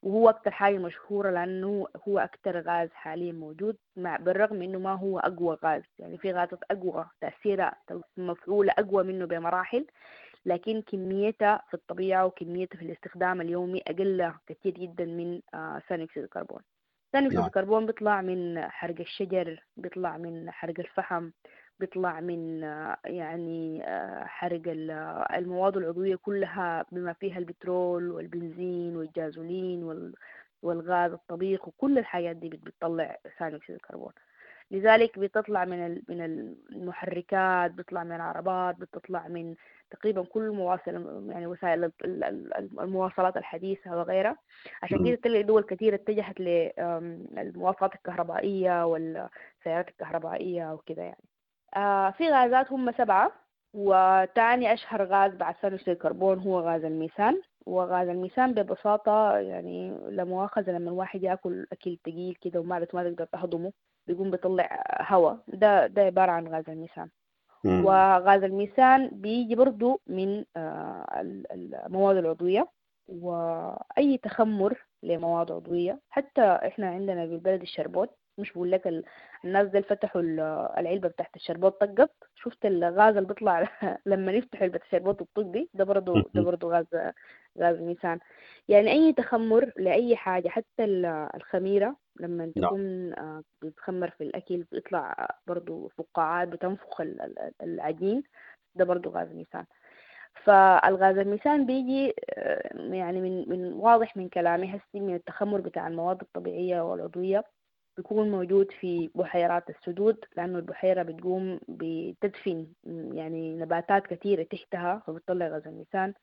وهو أكتر حاجة مشهورة لأنه هو أكتر غاز حاليا موجود، مع بالرغم إنه ما هو أقوى غاز، يعني في غازات أقوى تأثيرها مفعولة أقوى منه بمراحل، لكن كميتها في الطبيعة وكميتها في الاستخدام اليومي أقل كثير جدا من ثاني أكسيد الكربون. ثاني أكسيد الكربون بيطلع من حرق الشجر، بيطلع من حرق الفحم، بيطلع من يعني حرق المواد العضوية كلها بما فيها البترول والبنزين والجازولين والغاز الطبيخ، وكل الحاجات دي بتطلع ثاني أكسيد الكربون. لذلك بتطلع من من المحركات، بتطلع من العربات، بتطلع من تقريبا كل مواصل يعني وسائل المواصلات الحديثة وغيرها. عشان كده تلاقي دول كثيرة اتجهت للمواصلات الكهربائية والسيارات الكهربائية وكده يعني. آه في غازات هم سبعة، وتاني أشهر غاز بعد ثاني أكسيد الكربون هو غاز الميثان. وغاز الميثان ببساطة يعني لا مؤاخذة لما الواحد يأكل أكل تقيل كده ومعدته ما تقدر تهضمه بيقوم بيطلع هواء، ده ده عبارة عن غاز الميثان. مم. وغاز الميثان بيجي برضو من آه المواد العضوية وأي تخمر لمواد عضوية. حتى إحنا عندنا بالبلد الشربوت، مش بقول لك الناس دي فتحوا العلبة بتاعت الشربوت طقت، شفت الغاز اللي بيطلع لما نفتح علبة الشربوت الطق دي، ده برضو ده برضو غاز غاز ميثان. يعني أي تخمر لأي حاجة، حتى الخميرة لما تكون بتخمر في الأكل بيطلع برضو فقاعات بتنفخ العجين، ده برضو غاز ميثان. فالغاز الميثان بيجي يعني من من واضح من كلامي هسي من التخمر بتاع المواد الطبيعية والعضوية، بيكون موجود في بحيرات السدود، لأنه البحيرة بتقوم بتدفن يعني نباتات كثيرة تحتها فبتطلع غاز الميثان.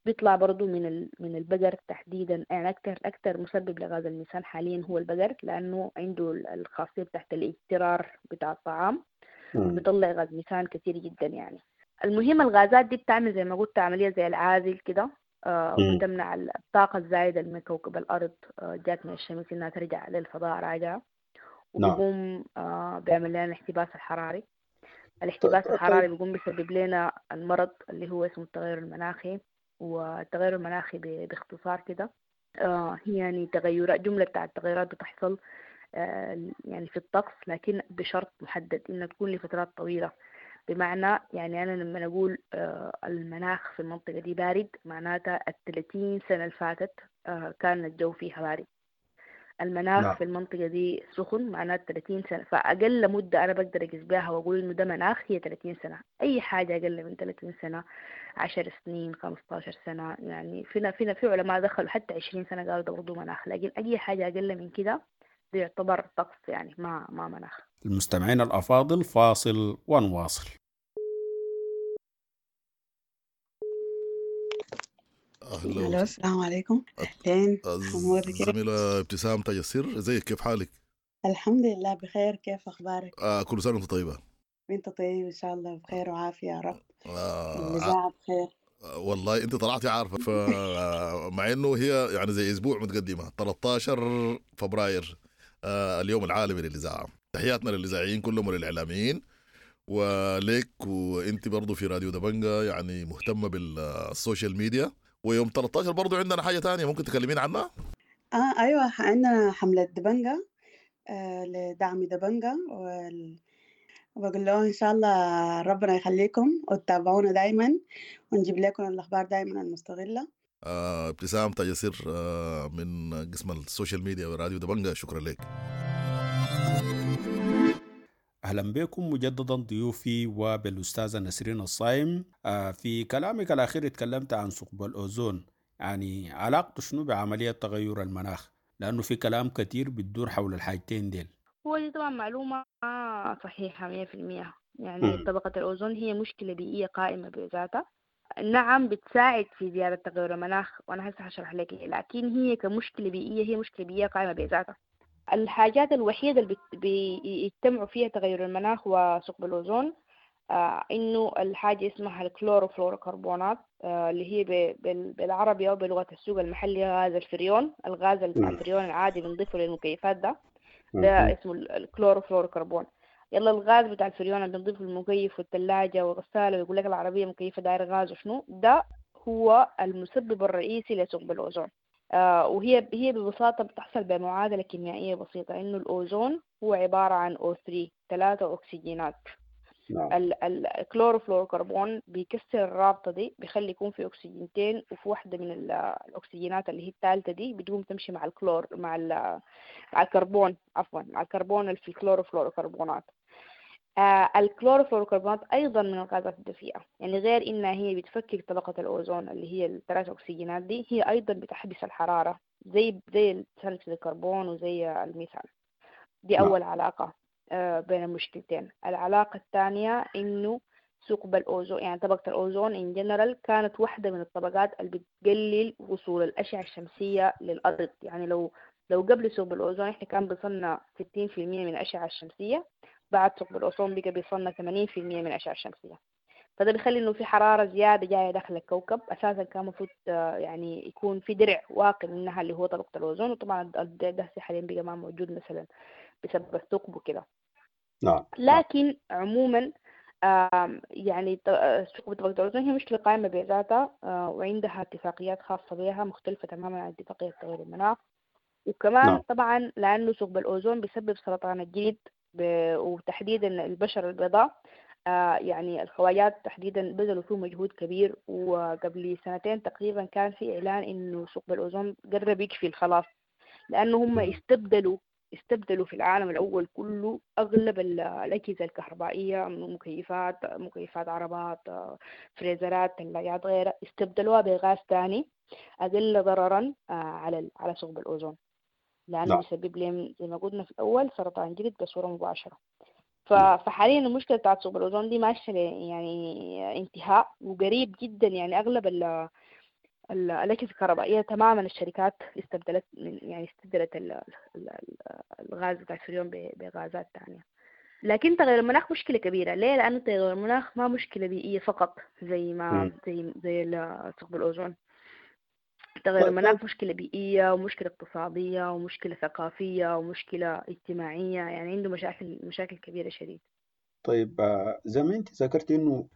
بيطلع برضو من من البقر تحديدا، يعني أكثر أكثر مسبب لغاز الميثان حاليا هو البقر، لأنه عنده الخاصية بتاعت الاجترار بتاع الطعام، بيطلع غاز ميثان كثير جدا. يعني المهم الغازات دي بتعمل زي ما قلت عملية زي العازل كده، آه وبتمنع الطاقة الزايدة من كوكب الأرض آه جات من الشمس إنها ترجع للفضاء راجعة، وبيقوم آه بيعمل لنا الاحتباس الحراري. الاحتباس الحراري بيقوم بيسبب لنا المرض اللي هو اسمه التغير المناخي. والتغير المناخي باختصار كده آه هي يعني تغيرات، جملة بتاع التغيرات بتحصل آه يعني في الطقس، لكن بشرط محدد إنها تكون لفترات طويلة. بمعنى يعني أنا لما أقول آه المناخ في المنطقة دي بارد، معناتها الثلاثين سنة اللي فاتت آه كان الجو فيها بارد. المناخ نعم. في المنطقة دي سخن، معناته ثلاثين سنة. فأقل مدة أنا بقدر أقيس بها وأقول إنه ده مناخ هي ثلاثين سنة. أي حاجة أقل من ثلاثين سنة، عشر سنين، خمستاشر سنة، يعني فينا فينا في علماء دخلوا حتى عشرين سنة قالوا ده برضه مناخ، لكن أي حاجة أقل من كده ده يعتبر طقس، يعني ما ما مناخ. المستمعين الأفاضل، فاصل ونواصل. أهلا، السلام عليكم. أهلين زميلة ابتسام تاج السر، ازيك، كيف حالك؟ الحمد لله بخير، كيف أخبارك؟ آه كل سنة وأنت طيبة. وأنت طيب إن شاء الله، بخير وعافية يا رب. آه الإذاعة بخير. آه والله أنت طلعتي عارفة، فمع إنه هي يعني زي أسبوع متقدمة، ثلاثة عشر فبراير آه اليوم العالمي للإذاعة. تحياتنا للإذاعيين كلهم وللإعلاميين وليك، وأنت برضو في راديو دبنجة يعني مهتمة بال social media. ويوم ثلاثة عشر برضو عندنا حاجة تانية ممكن تكلمين عنها؟ آه أيوة، عندنا حملة دبنجة آه لدعم دبنجة، وال... وبقول لهم إن شاء الله ربنا يخليكم وتتابعونا دايما، ونجيب لكم الأخبار دايما المستغلة. آه ابتسام تاج السر آه من قسم ال social media وراديو دبنجة، شكرا لك. أهلا بكم مجددا ضيوفي وبالأستاذة نسرين الصايم. في كلامك الأخير اتكلمت عن ثقب الأوزون، يعني علاقته شنو بعملية تغير المناخ؟ لأنه في كلام كتير بتدور حول الحاجتين ديل. هو دي طبعا معلومة صحيحة مية في المية. يعني طبقة الأوزون هي مشكلة بيئية قائمة بذاتها، نعم بتساعد في زيادة تغير المناخ، وأنا هسه هشرح لك، لكن هي كمشكلة بيئية هي مشكلة بيئية قائمة بذاتها. الحاجات الوحيدة اللي بيجتمعوا فيها تغير المناخ وثقب الأوزون آه إنه الحاجة اسمها الكلوروفلوروكربونات، آه اللي هي بالعربي أو بلغة السوق المحلي غاز الفريون. الغاز الفريون العادي بنضيفه للمكيفات ده ده اسمه الكلوروفلوروكربون. يلا الغاز بتاع الفريون اللي بنضيفه المكيف والثلاجة والغسالة ويقول لك العربية مكيفة داير غاز وشنو، ده هو المسبب الرئيسي لثقب الأوزون. آه وهي هي ببساطة بتحصل بمعادلة كيميائية بسيطة، إنه الأوزون هو عبارة عن أو ثري، ثلاثة أكسجينات. نعم. الكلوروفلوروكربون بيكسر الرابطة دي، بيخلي يكون في أكسجينتين، وفي واحدة من الأكسجينات اللي هي الثالثة دي بتقوم تمشي مع الكلور مع مع الكربون عفوا مع الكربون اللي في الكلوروفلوروكربونات. آه الكلوروفلوروكربونات أيضا من الغازات الدفيئة، يعني غير إنها هي بتفكك طبقة الأوزون اللي هي الثلاث أكسجينات دي، هي أيضا بتحبس الحرارة زي زي ثاني أكسيد الكربون وزي الميثان. دي أول علاقة آه بين المشكلتين. العلاقة الثانية إنه ثقب الأوزون، يعني طبقة الأوزون in general كانت واحدة من الطبقات اللي بتقلل وصول الأشعة الشمسية للأرض. يعني لو لو قبل ثقب الأوزون إحنا كان بيصلنا ستين في المية من الأشعة الشمسية، بعد ثقب الأوزون بقى بيصلنا ثمانين في المية من الأشعة الشمسية. فده بيخلي إنه في حرارة زيادة جاية داخل الكوكب. أساسا كان المفروض يعني يكون في درع واقي منها اللي هو طبقة الأوزون، وطبعا الدرع ده حاليا بقى ما موجود مثلا بسبب الثقب وكده. نعم. لكن عموما يعني ثقب طبقة الأوزون هي مشكلة قائمة بذاتها، وعندها اتفاقيات خاصة بها مختلفة تماما عن اتفاقية تغيير المناخ. وكمان نعم. طبعا لأنه ثقب الأوزون بيسبب سرطان الجلد وتحديدا البشرة البيضاء، آه يعني الخواجات تحديدا بذلوا فيه مجهود كبير. وقبل سنتين تقريبا كان في إعلان إنه ثقب الأوزون قرب يكفي خلاص، لأنه هم استبدلوا استبدلوا في العالم الأول كله أغلب الأجهزة الكهربائية، مكيفات مكيفات عربات، فريزرات، ثلاجات، غيرها، استبدلوها بغاز ثاني أقل ضررا على على ثقب الأوزون، لأنه بيسبب لهم زي ما قلنا في الأول سرطان جلد بصورة مباشرة. فحاليا المشكلة بتاعت ثقب الأوزون دي ماشية يعني انتهاء وقريب جدا. يعني أغلب ال الأجهزة الكهربائية تماما الشركات استبدلت من يعني استبدلت ال ال الغاز بتاع الفريون بغازات تانية. لكن تغير المناخ مشكلة كبيرة. ليه؟ لأنه تغير المناخ ما مشكلة بيئية فقط زي ما زي زي ثقب الأوزون. تغير المناخ مشكلة بيئية ومشكلة اقتصادية ومشكلة ثقافية ومشكلة اجتماعية، يعني عنده مشاكل مشاكل كبيرة شديد. طيب زي ما انت ذكرت انه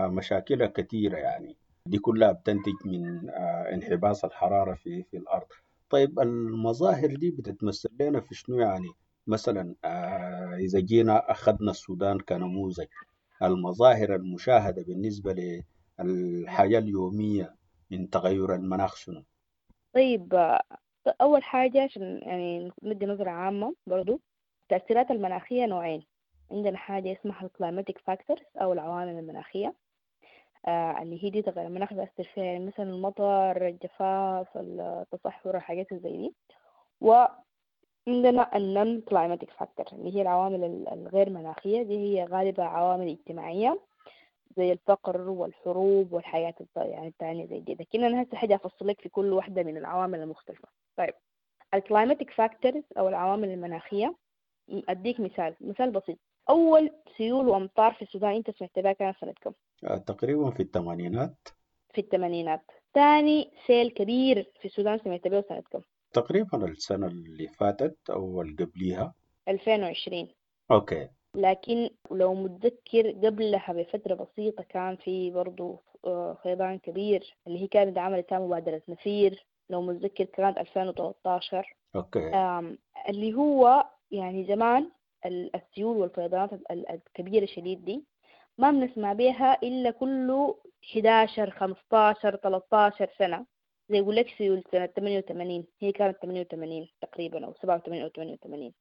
مشاكلها كثيرة، يعني دي كلها بتنتج من انحباس الحرارة في في الأرض. طيب المظاهر دي بتتمثل لنا في شنو؟ يعني مثلا إذا جينا أخذنا السودان كنموذج، المظاهر المشاهدة بالنسبة للحياة اليومية من تغير المناخ شنو؟ طيب أول حاجة عشان يعني ندي نظرة عامة برضو، التأثيرات المناخية نوعين. عندنا حاجة اسمها ال climatic factors أو العوامل المناخية، آه اللي هي دي تغير المناخ بيأثر فيها، يعني مثلا المطر، الجفاف، التصحر، الحاجات زي دي. وعندنا ال non climatic factor اللي هي العوامل الغير مناخية، دي هي غالبا عوامل اجتماعية زي الفقر والحروب والحياة يعني التانية زي دي. لكن أنا هسه حاجة أفصل لك في كل واحدة من العوامل المختلفة. طيب ال climatic factors أو العوامل المناخية، أديك مثال مثال بسيط. أول سيول وأمطار في السودان أنت سمعت بها كان سنة كم؟ تقريبا في الثمانينات. في الثمانينات. ثاني سيل كبير في السودان سمعت به سنة كم؟ تقريبا السنة اللي فاتت أو اللي قبليها، ألفين وعشرين. okay. لكن لو متذكر قبلها بفترة بسيطة كان في برضو فيضان كبير اللي هي كانت عملت مبادرة نفير، لو متذكر كانت ألفين وثلاثة عشر. okay. اللي هو يعني زمان السيول والفيضانات الكبيرة شديد دي ما بنسمع بيها إلا كله إحدى عشر خمسة عشر ثلاثة عشر سنة. زي يقول لك سيول سنة ثمانية وثمانين، هي كانت ثمانية وثمانين تقريبا أو سبعة وثمانين أو ثمانية وثمانين.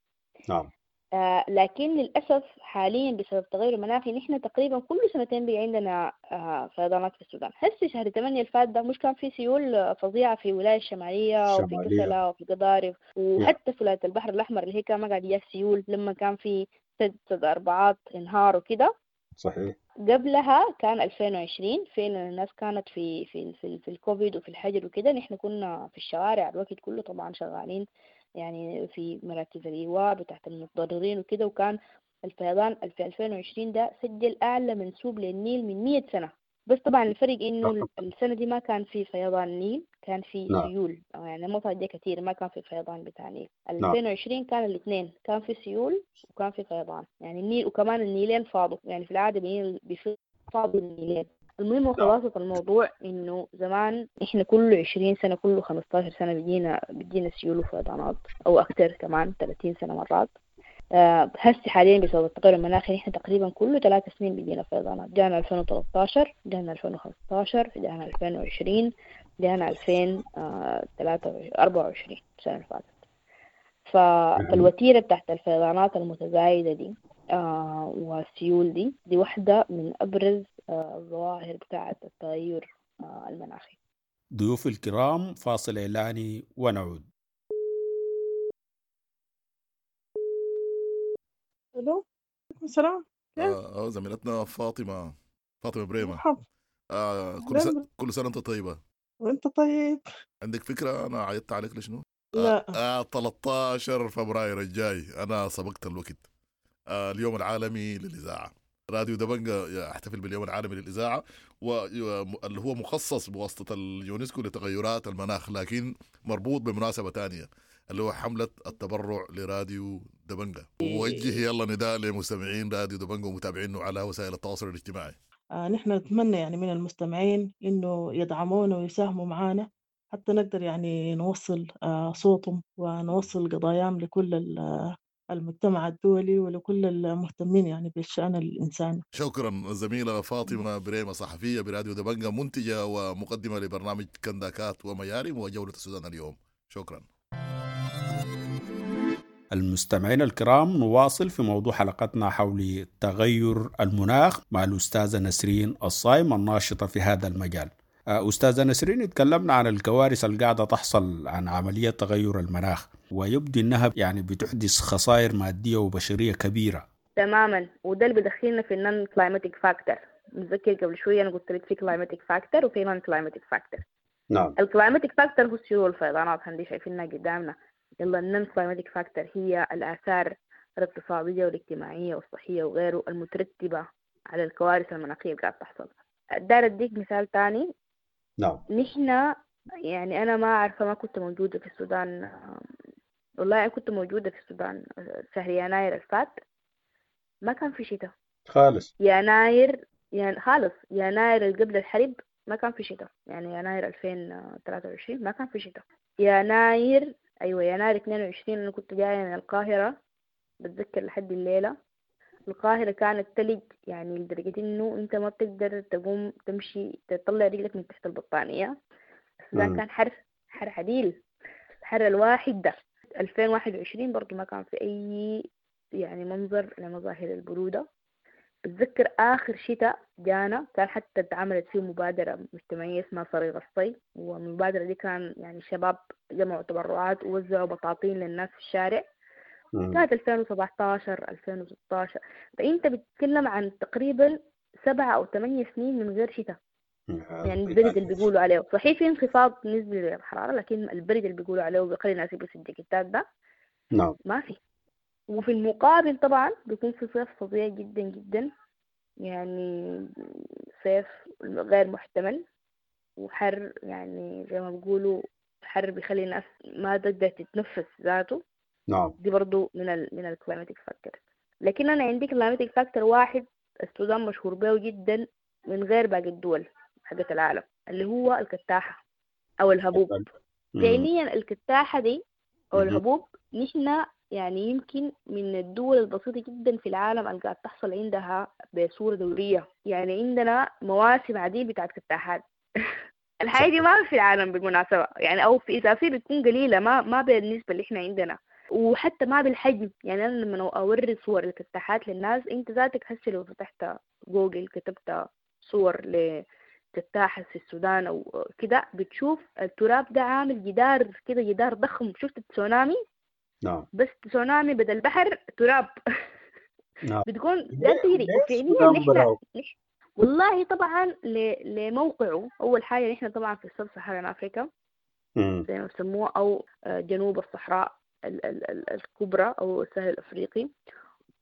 نعم. آه لكن للأسف حاليا بسبب التغير المناخي نحن تقريبا كل سنتين بقى عندنا آه فيضانات في السودان. هسه شهر ثمانية الفات ده مش كان في سيول فظيعة في ولاية الشمالية وفي كسلا وفي قضارف وحتى في ولاية البحر الأحمر اللي هي كان ما قاعد يجيها سيول لما كان في سد سد أربعات انهار وكده. صحيح. قبلها كان ألفين وعشرين فين الناس كانت في في في, في الكوفيد وفي الحجر وكده، نحن كنا في الشوارع الوقت كله طبعا شغالين يعني في مراكز الإيواء بتاعت المتضررين وكده، وكان الفيضان في ألفين وعشرين ده سجل أعلى منسوب للنيل من مية سنة. بس طبعا الفرق إنه السنة دي ما كان في فيضان نيل، كان في نعم. سيول، يعني المطر جا كتير، ما كان في فيضان بتاع النيل. نعم. ألفين وعشرين كان الاثنين، كان في سيول وكان في فيضان، يعني النيل وكمان النيلين فاضوا، يعني في العادة بينيل بيفاضوا النيلين. المهم وخلاصة الموضوع إنه زمان إحنا كل عشرين سنة، كل خمستاشر سنة بيجينا بيجينا سيول وفيضانات، أو أكتر كمان ثلاثين سنة مرات. آه، هسي حاليا بسبب التغير المناخي إحنا تقريبا كل ثلاث سنين بيجينا فيضانات. جانا ألفين وثلاثتاشر، جانا ألفين وخمستاشر، جانا ألفين وعشرين، جانا ألفين وثلاثة أربعة وعشرين السنة اللي فاتت. فالوتيرة بتاعت الفيضانات المتزايدة دي آه والسيول دي دي واحدة من أبرز آه الظواهر بتاعت التغير آه المناخي. ضيوف الكرام، فاصل إعلاني ونعود. الو، عليكم السلام. آه زميلتنا فاطمة، فاطمة بريمة. مرحبا. آه كل سنة كل سنة أنت طيبة. وأنت طيب. عندك فكرة أنا عيطت عليك لشنو؟ لا. آه ثلاثة عشر فبراير الجاي، أنا سبقت الوقت. آه اليوم العالمي للإذاعة، راديو دبنجة يحتفل باليوم العالمي للإذاعة، واللي هو مخصص بواسطة اليونسكو لتغيرات المناخ، لكن مربوط بمناسبة تانية اللي هو حملة التبرع لراديو دبنجة. ووجه يلا نداء لمستمعين راديو دبنجة ومتابعينه على وسائل التواصل الاجتماعي. آه نحن نتمنى يعني من المستمعين إنه يدعمونا ويساهموا معنا حتى نقدر يعني نوصل آه صوتهم ونوصل قضاياهم لكل المجتمع الدولي ولكل المهتمين يعني بالشأن الإنساني. شكرا الزميلة فاطمة بريمة، صحفية براديو دبنجة، منتجة ومقدمة لبرنامج كنداكات وميارم وجولة السودان اليوم. شكرا. المستمعين الكرام، نواصل في موضوع حلقتنا حول تغير المناخ مع الأستاذة نسرين الصايم الناشطة في هذا المجال. أستاذة نسرين، اتكلمنا عن الكوارث القاعدة تحصل عن عملية تغير المناخ، ويبدو أنها يعني بتحدث خسائر مادية وبشرية كبيرة. تماما، وده اللي بدخلنا في ال non climatic factor. متذكر قبل شوية أنا قلت لك في climatic factor وفي non climatic factor. نعم. ال climatic factor هو السيول والفيضانات اللي شايفينها قدامنا. يلا ال non climatic factor هي الآثار الاقتصادية والاجتماعية والصحية وغيره المترتبة على الكوارث المناخية اللي قاعدة تحصل. دار أديك مثال تاني. نعم. نحن يعني أنا ما عارفة، ما كنت موجودة في السودان، والله أنا كنت موجودة في السودان شهر يناير الفات، ما كان في شتاء خالص. يناير يعني خالص، يناير اللي قبل الحرب ما كان في شتاء، يعني يناير ألفين وثلاثة وعشرين ما كان في شتاء. يناير أيوة يناير اثنين وعشرين أنا كنت جاية من القاهرة، بتذكر لحد الليلة القاهرة كانت تلج، يعني لدرجة إنه أنت ما بتقدر تقوم تمشي تطلع رجلك من تحت البطانية. السودان كان حر حر عديل، حر الواحد ده. ألفين وواحد وعشرين برضو ما كان في أي يعني منظر لمظاهر البرودة. بتذكر آخر شتاء جانا كان حتى اتعملت فيه مبادرة مجتمعية اسمها صريغ الصي، والمبادرة دي كان يعني شباب جمعوا تبرعات ووزعوا بطاطين للناس في الشارع. كانت ألفين وسبعتاشر ألفين وستاشر. فأنت بتتكلم عن تقريبا سبعة أو ثمانية سنين من غير شتاء. يعني البرد اللي بيقولوا عليه صحيح في انخفاض نسبي للحرارة، لكن البرد اللي بيقولوا عليه وبيخلي الناس يلبسوا الجاكيتات ده نعم ما في. وفي المقابل طبعا بيكون في صيف فظيع جدا جدا، يعني صيف غير محتمل وحر، يعني زي ما بيقولوا حر بيخلي الناس ما تقدر تتنفس ذاته. نعم. دي برضو من ال من ال climatic factor. لكن أنا عندي climatic factor واحد السودان مشهور به جدا من غير باقي الدول حقت العالم، اللي هو الكتاحة أو الهبوب. فعليا الكتاحة دي أو الهبوب نحن يعني يمكن من الدول البسيطة جدا في العالم اللي قاعد تحصل عندها بصورة دورية. يعني عندنا مواسم عديد بتاعت كتاحات. الحاجة دي ما في العالم بالمناسبة، يعني أو في إذا في بتكون قليلة، ما ما بالنسبة اللي إحنا عندنا، وحتى ما بالحجم. يعني أنا لما أوري صور الكتاحات للناس، أنت ذاتك هسه لو فتحت جوجل كتبت صور لكتاحة في السودان أو كده، بتشوف التراب ده عامل جدار كده، جدار ضخم. شفت التسونامي؟ نعم. بس تسونامي بدل بحر تراب. نعم. بتكون ده تجري. وفعليا نحن والله طبعا ل... لموقعه أول حاجة نحن طبعا في ال Sub-Saharan Africa زي ما بسموه، أو جنوب الصحراء ال... ال... الكبرى أو السهل الأفريقي.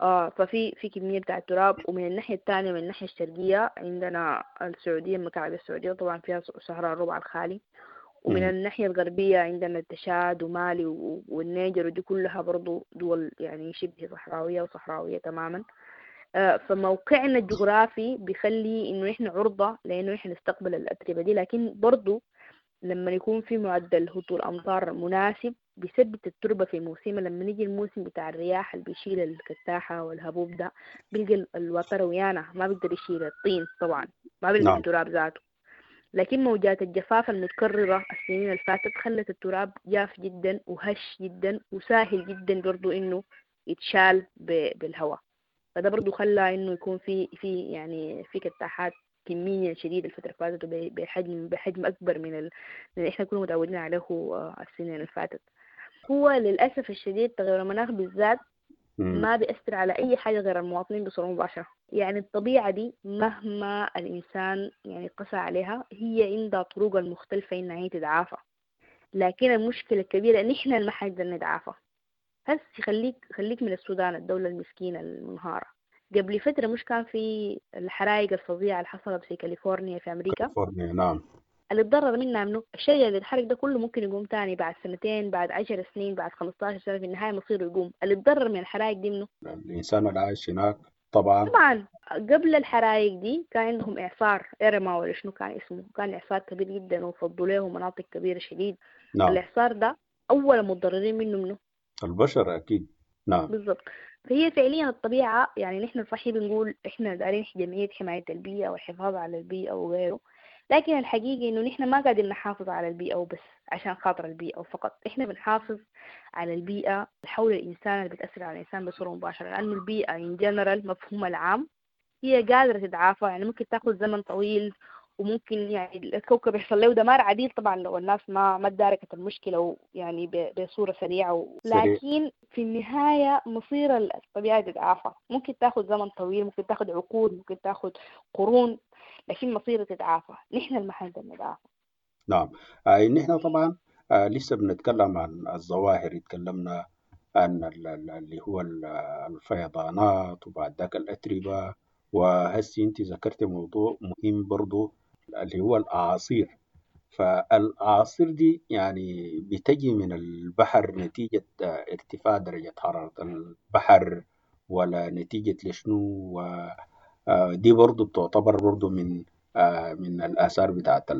آه ففي في كمية بتاع التراب. ومن الناحية الثانية من الناحية الشرقية عندنا السعودية، المكعب السعودية طبعا فيها صحراء الربع الخالي، ومن الناحية الغربية عندنا التشاد ومالي والنيجر، ودي كلها برضو دول يعني شبه صحراوية وصحراوية تماما. فموقعنا الجغرافي بيخلي إنه إحنا عرضة لأنه إحنا نستقبل الأتربة دي، لكن برضو لما يكون في معدل هطول أمطار مناسب بيثبت التربة في موسمها. لما نيجي الموسم بتاع الرياح اللي بيشيل الكتاحة والهبوب ده بيلقى الوتر ويانا ما بيقدر يشيل الطين طبعا، ما بيلقى التراب ذاته. لكن موجات الجفاف المتكررة السنين اللي فاتت خلت التراب جاف جدا وهش جدا وسهل جدا برضو إنه يتشال بالهواء، فده برضو خلى إنه يكون في في يعني في كتاحات كمية شديدة الفترة اللي فاتت بحجم بحجم أكبر من ال... اللي إحنا كنا متعودين عليه السنين اللي فاتت. هو للأسف الشديد تغير المناخ بالذات ما بيأثر على أي حاجة غير المواطنين بصورة مباشرة. يعني الطبيعة دي مهما الإنسان يعني قسى عليها هي عندها طرق المختلفة إنها هي تتعافى، لكن المشكلة الكبيرة إن إحنا ما حنقدر نتعافى. هس خليك خليك من السودان الدولة المسكينة المنهارة، قبل فترة مش كان في الحرائق الفظيعة اللي حصلت في كاليفورنيا في أمريكا؟ كاليفورنيا نعم. اللي اتضرر منها منه الشجر اللي اتحرق ده كله ممكن يقوم تاني بعد سنتين، بعد عشر سنين، بعد خمستاشر سنة، في النهاية مصيره يقوم. اللي اتضرر من الحرائق دي منه الإنسان اللي عايش هناك طبعا. طبعا قبل الحرائق دي كان عندهم إعصار إرما ولا شنو كان اسمه، كان إعصار كبير جدا وفضوا له مناطق كبيرة شديد. نعم. الإعصار ده أول متضررين منه منه البشر أكيد. نعم بالضبط. فهي فعليا الطبيعة يعني نحن صحيح بنقول إحنا دارين جمعية حماية البيئة والحفاظ على البيئة وغيره، لكن الحقيقة إنه نحن ما قادرين نحافظ على البيئة وبس عشان خاطر البيئة وفقط، إحنا بنحافظ على البيئة حول الإنسان اللي بتأثر على الإنسان بصورة مباشرة، لأنه البيئة in general مفهومها العام هي قادرة تتعافى، يعني ممكن تاخذ زمن طويل وممكن يعني الكوكب يحصل له دمار عديد طبعا لو الناس ما ما تداركت المشكلة يعني بصورة سريعة و... لكن في النهاية مصير الطبيعة تتعافى، ممكن تاخذ زمن طويل، ممكن تاخذ عقود، ممكن تاخذ قرون، لكن مصيرها تتعافى. نحن المحل نتعافى. نعم آه نحن طبعا آه لسه بنتكلم عن الظواهر، اتكلمنا عن اللي هو الفيضانات وبعد ذاك الأتربة، وهسي انت ذكرت موضوع مهم برضو اللي هو الأعاصير. فالأعاصير دي يعني بتجي من البحر نتيجة ارتفاع درجة حرارة البحر ولا نتيجة لشنو؟ دي برضو بتعتبر برضو من من الآثار بتاعت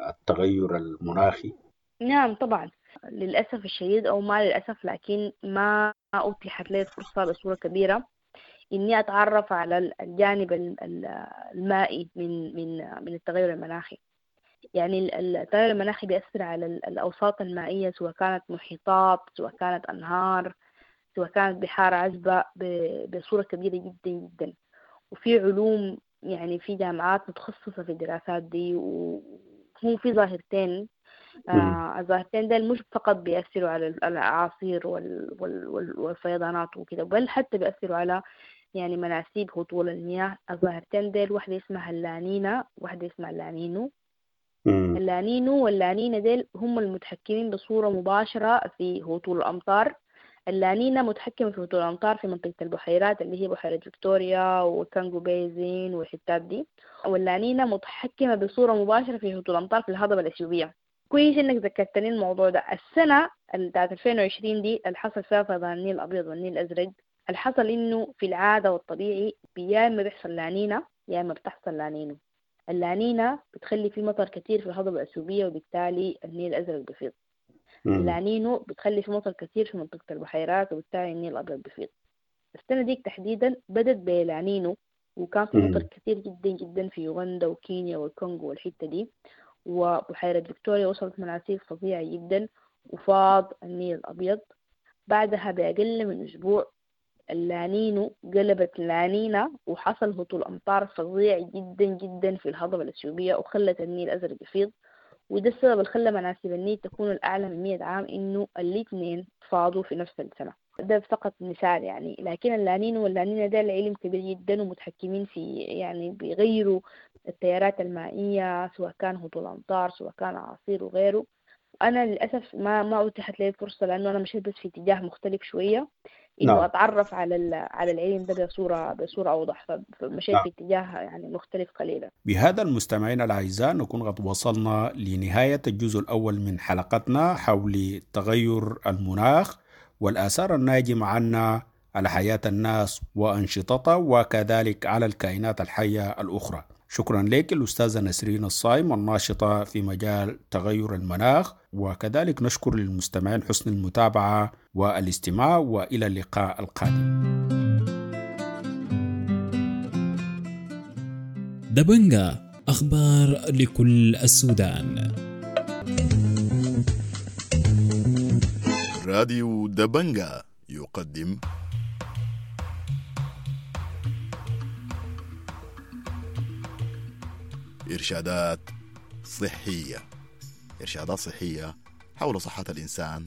التغير المناخي. نعم طبعا للأسف الشديد أو ما للأسف، لكن ما أتيحت لي الفرصة بصورة كبيرة إني أتعرف على الجانب المائي من من من التغير المناخي. يعني التغير المناخي بيأثر على الأوساط المائية، سواء كانت محيطات، سواء كانت أنهار، سواء كانت بحار عذبة، بصورة كبيرة جدا جدا. وفي علوم يعني في جامعات متخصصة في الدراسات دي، وهم في ظاهرتين آه الظاهرتين دول مش فقط بيأثروا على الأعاصير وال وال والفيضانات وكده، بل حتى بيأثروا على يعني مناسيب هطول المياه. الظاهرتين ديل واحدة اسمها اللانينا واحدة اسمها اللانينو. اللانينو واللانينا ديل هم المتحكمين بصورة مباشرة في هطول الأمطار. اللانينا متحكمة في هطول الأمطار في منطقة البحيرات اللي هي بحيرة فيكتوريا وكانجو basin والحتات دي، واللانينا متحكمة بصورة مباشرة في هطول الأمطار في الهضبة الأثيوبية. كويس انك ذكرتني الموضوع ده. السنة بتاعت ألفين وعشرين دي اللي حصل فيها فيضان النيل الأبيض والنيل الأزرق، اللي حصل انه في العادة والطبيعي يا اما بيحصل لانينا يا اما بتحصل لانينو. اللانينا بتخلي في مطر كتير في الهضبة الأثيوبية وبالتالي النيل الأزرق بيفيض. اللانينو بتخلي في مطر كتير في منطقة البحيرات وبالتالي النيل الأبيض بيفيض. السنة ديك تحديدا بدت بلانينو، وكان في مطر كتير جدا جدا في يوغندا وكينيا والكونغو والحتة دي، وبحيرة فيكتوريا وصلت مناسيب فظيعة جدا وفاض النيل الأبيض. بعدها بأقل من أسبوع اللانينو قلبت لانينا وحصل هطول أمطار فظيع جدا جدا في الهضبة الأثيوبية وخلت النيل الأزرق يفيض. وده السبب اللي خلى مناسيب النيل تكون الأعلى من مئة عام، إنه الاثنين فاضوا في نفس السنة. ده فقط مثال يعني، لكن اللانينو واللانينا ده العلم كبير جدا ومتحكمين في يعني بيغيروا التيارات المائية سواء كان هطول أمطار سواء كان أعاصير وغيره. أنا للأسف ما ما أتيحت لي الفرصة لأنه أنا مشيت بس في اتجاه مختلف شوية، إنه نعم. أتعرف على على العلم ده بصورة بصورة أوضح، فمشيت نعم. في اتجاه يعني مختلف قليلا. بهذا المستمعين الأعزاء نكون قد وصلنا لنهاية الجزء الأول من حلقتنا حول تغير المناخ والآثار الناجمة عنا على حياة الناس وأنشطتها وكذلك على الكائنات الحية الأخرى. شكرا لك الأستاذة نسرين الصايم الناشطة في مجال تغير المناخ، وكذلك نشكر للمستمعين حسن المتابعة والاستماع، وإلى اللقاء القادم. دبنجا، أخبار لكل السودان. راديو دبنجا يقدم إرشادات صحية، إرشادات صحية حول صحة الإنسان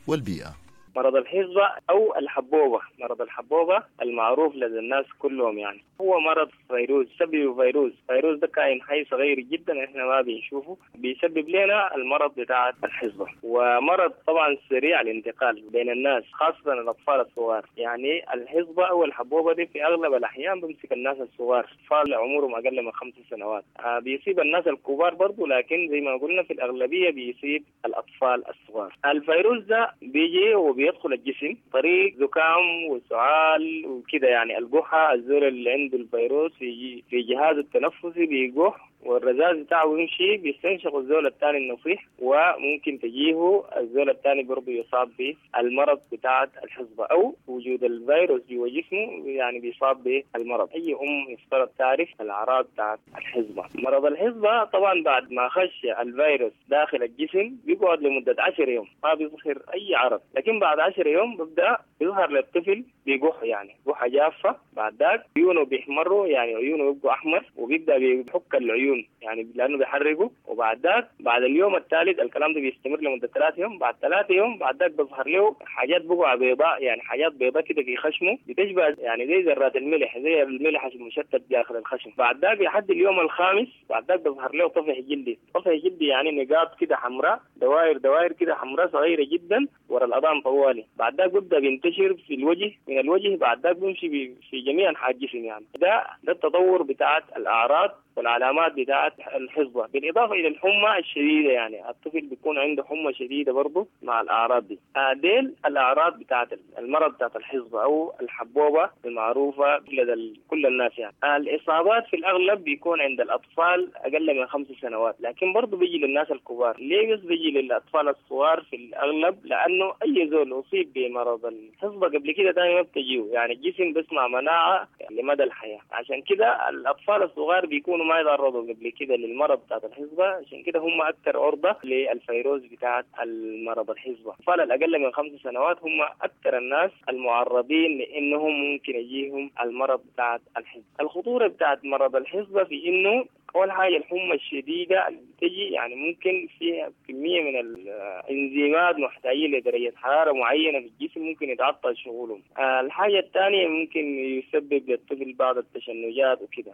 والبيئة. مرض الحصبة أو الحبوبة، مرض الحبوبة المعروف لدى الناس كلهم، يعني هو مرض فيروس، سببه فيروس، فيروس ده كائن حي صغير جدا احنا ما بنشوفه، بيسبب لنا المرض بتاع الحصبة، ومرض طبعا سريع الانتقال بين الناس خاصة الأطفال الصغار. يعني الحصبة أو الحبوبة دي في أغلب الأحيان بمسك الناس الصغار، أطفال عمرهم أقل من خمس سنوات، بيصيب الناس الكبار برضو، لكن زي ما قلنا في الأغلبية بيصيب الأطفال الصغار. الفيروس ده بيجي وبي يدخل الجسم طريق زكام وسعال وكده، يعني القحة، الزول اللي عنده الفيروس في في جهازه التنفسي بيقح والرذاذ بتاعه يمشي بيستنشق الزول الثاني النصيح، وممكن تجيه الزول الثاني برضه يصاب بالمرض بتاعة الحصبة، أو وجود الفيروس جوا جسمه يعني بيصاب بالمرض. أي أم يفترض تعرف الأعراض بتاعة الحصبة. مرض الحصبة طبعا بعد ما خش الفيروس داخل الجسم بيقعد لمدة عشر يوم ما بيظهر أي عرض، لكن بعد عشر يوم ببدأ يظهر للطفل بيقح، يعني قحة جافة، بعد ذاك عيونه بيحمروا، يعني عيونه بيبقوا أحمر، وبيبدأ بيحك العيون يعني لأنه بيحرقه. وبعد ذاك بعد اليوم الثالث الكلام ده بيستمر لمدة ثلاثة يوم، بعد ثلاثة يوم بعد ذاك بيظهر له حاجات بقع بيضاء، يعني حاجات بيضاء كده في خشمه بتشبه يعني زي ذرات الملح، زي الملح المشتت داخل الخشم. بعد ذاك لحد اليوم الخامس بعد ذاك بيظهر له طفح جلدي، طفح جلدي يعني نقاط كده حمراء، دوائر دوائر كده حمراء صغيرة جدا ورا الأذان طوالي. بعد ذاك بيبدأ بينتشر في الوجه، من الوجه بعد ذاك بيمشي في جميع أنحاء الجسم. يعني ده ده التطور بتاعت الأعراض والعلامات بتاعت الحصبة، بالإضافة إلى الحمى الشديدة، يعني الطفل بيكون عنده حمى شديدة برضه مع الأعراض دي. ديل الأعراض بتاعت المرض بتاعت الحصبة أو الحبوبة المعروفة لدى كل الناس. يعني الإصابات في الأغلب بيكون عند الأطفال أقل من خمس سنوات، لكن برضه بيجي للناس الكبار. ليه بس بيجي للأطفال الصغار في الأغلب؟ لأنه أي زول أصيب بمرض الحصبة قبل كده دائما بتجيه، يعني الجسم بيصنع مناعة لمدى الحياة، عشان كده الأطفال الصغار بيكونوا ما يتعرضوا قبل كده للمرض بتاعت الحصبة، عشان كده هم أكثر عرضة للفيروس بتاعت المرض الحصبة. الأطفال الأقل من خمس سنوات هم أكثر الناس المعرضين لأنهم ممكن يجيهم المرض بتاعت الحصبة. الخطورة بتاعت مرض الحصبة في إنه أول حاجة الحمى الشديدة اللي بتجي، يعني ممكن فيها كمية من الإنزيمات محتاجين لدرجة حرارة معينة في الجسم ممكن يتعطل شغلهم. الحاجة الثانية ممكن يسبب للطفل بعض التشنجات وكده،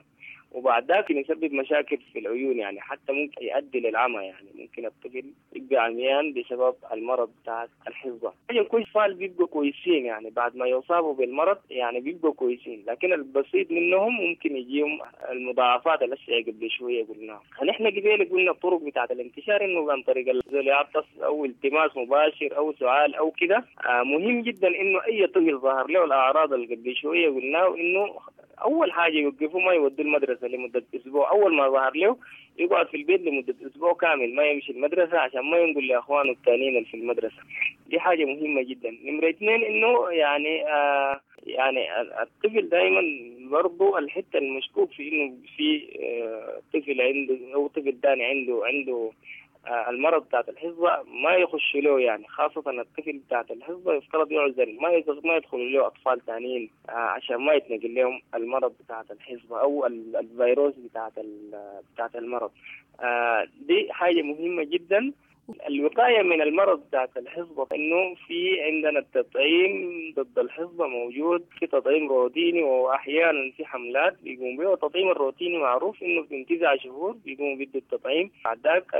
وبعد ذاك يسبب مشاكل في العيون، يعني حتى ممكن يؤدي للعمى، يعني ممكن الطفل يبقى عميان بسبب المرض بتاع الحصبة. يعني كل أطفال بيبقوا كويسين، يعني بعد ما يصابوا بالمرض يعني بيبقوا كويسين، لكن البسيط منهم ممكن يجيهم المضاعفات الأشياء قبل شوية قلناها. نحن قبل قلنا الطرق بتاعة الانتشار إنه عن طريق الزول يعطس أو التماس مباشر أو سعال أو كده. آه مهم جدا إنه أي طفل ظهر له الأعراض اللي قبل شوية قلناه إنه أول حاجة يوقفوا ما يودوا المدرسة لمدة أسبوع. أول ما ظهر له يقعد في البيت لمدة أسبوع كامل ما يمشي المدرسة عشان ما ينقل لأخوانه الثانيين في المدرسة. دي حاجة مهمة جدا. نمرة اثنين إنه يعني آه يعني الطفل دائما برضو الحتة المشكوك في إنه في آه طفل عنده أو طفل ثاني عنده عنده المرض بتاعت الحصبة ما يخش له، يعني خاصة الطفل بتاعت الحصبة يفترض يعزل، ما ما يدخل له أطفال ثانيين عشان ما يتنقل لهم المرض بتاعت الحصبة أو الفيروس بتاعت بتاعت المرض. دي حاجة مهمة جدا. الوقاية من المرض بتاعت الحصبة إنه في عندنا التطعيم ضد الحصبة موجود، في تطعيم روتيني وأحيانا في حملات بيقوم به. التطعيم الروتيني معروف إنه من تسعة شهور بيقوموا بيدوا التطعيم، بعد ذاك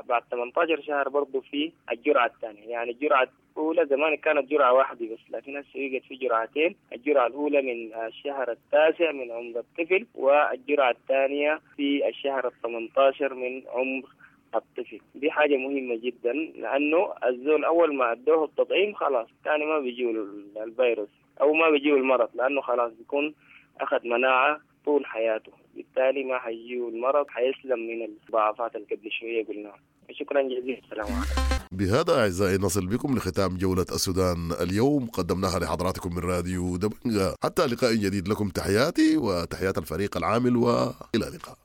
بعد ثمانية عشر شهر برضه في الجرعة الثانية. يعني الجرعة الأولى زمان كانت جرعة واحدة بس، لكن هسه بقت في جرعتين، الجرعة الأولى من الشهر التاسع من عمر الطفل، والجرعة الثانية في الشهر الثمانية عشر من عمر الطفل. دي حاجة مهمة جدا، لأنه الزول أول ما أدوه التطعيم خلاص تاني ما بيجيه الفيروس أو ما بيجيه المرض، لأنه خلاص بيكون أخذ مناعة طول حياته، بالتالي ما حيجيه المرض، حيسلم من المضاعفات اللي قبل شوية قلناها. شكرا جزيلا، السلام عليكم. بهذا أعزائي نصل بكم لختام جولة السودان اليوم، قدمناها لحضراتكم من راديو دبنجا. حتى لقاء جديد، لكم تحياتي وتحيات الفريق العامل، وإلى اللقاء.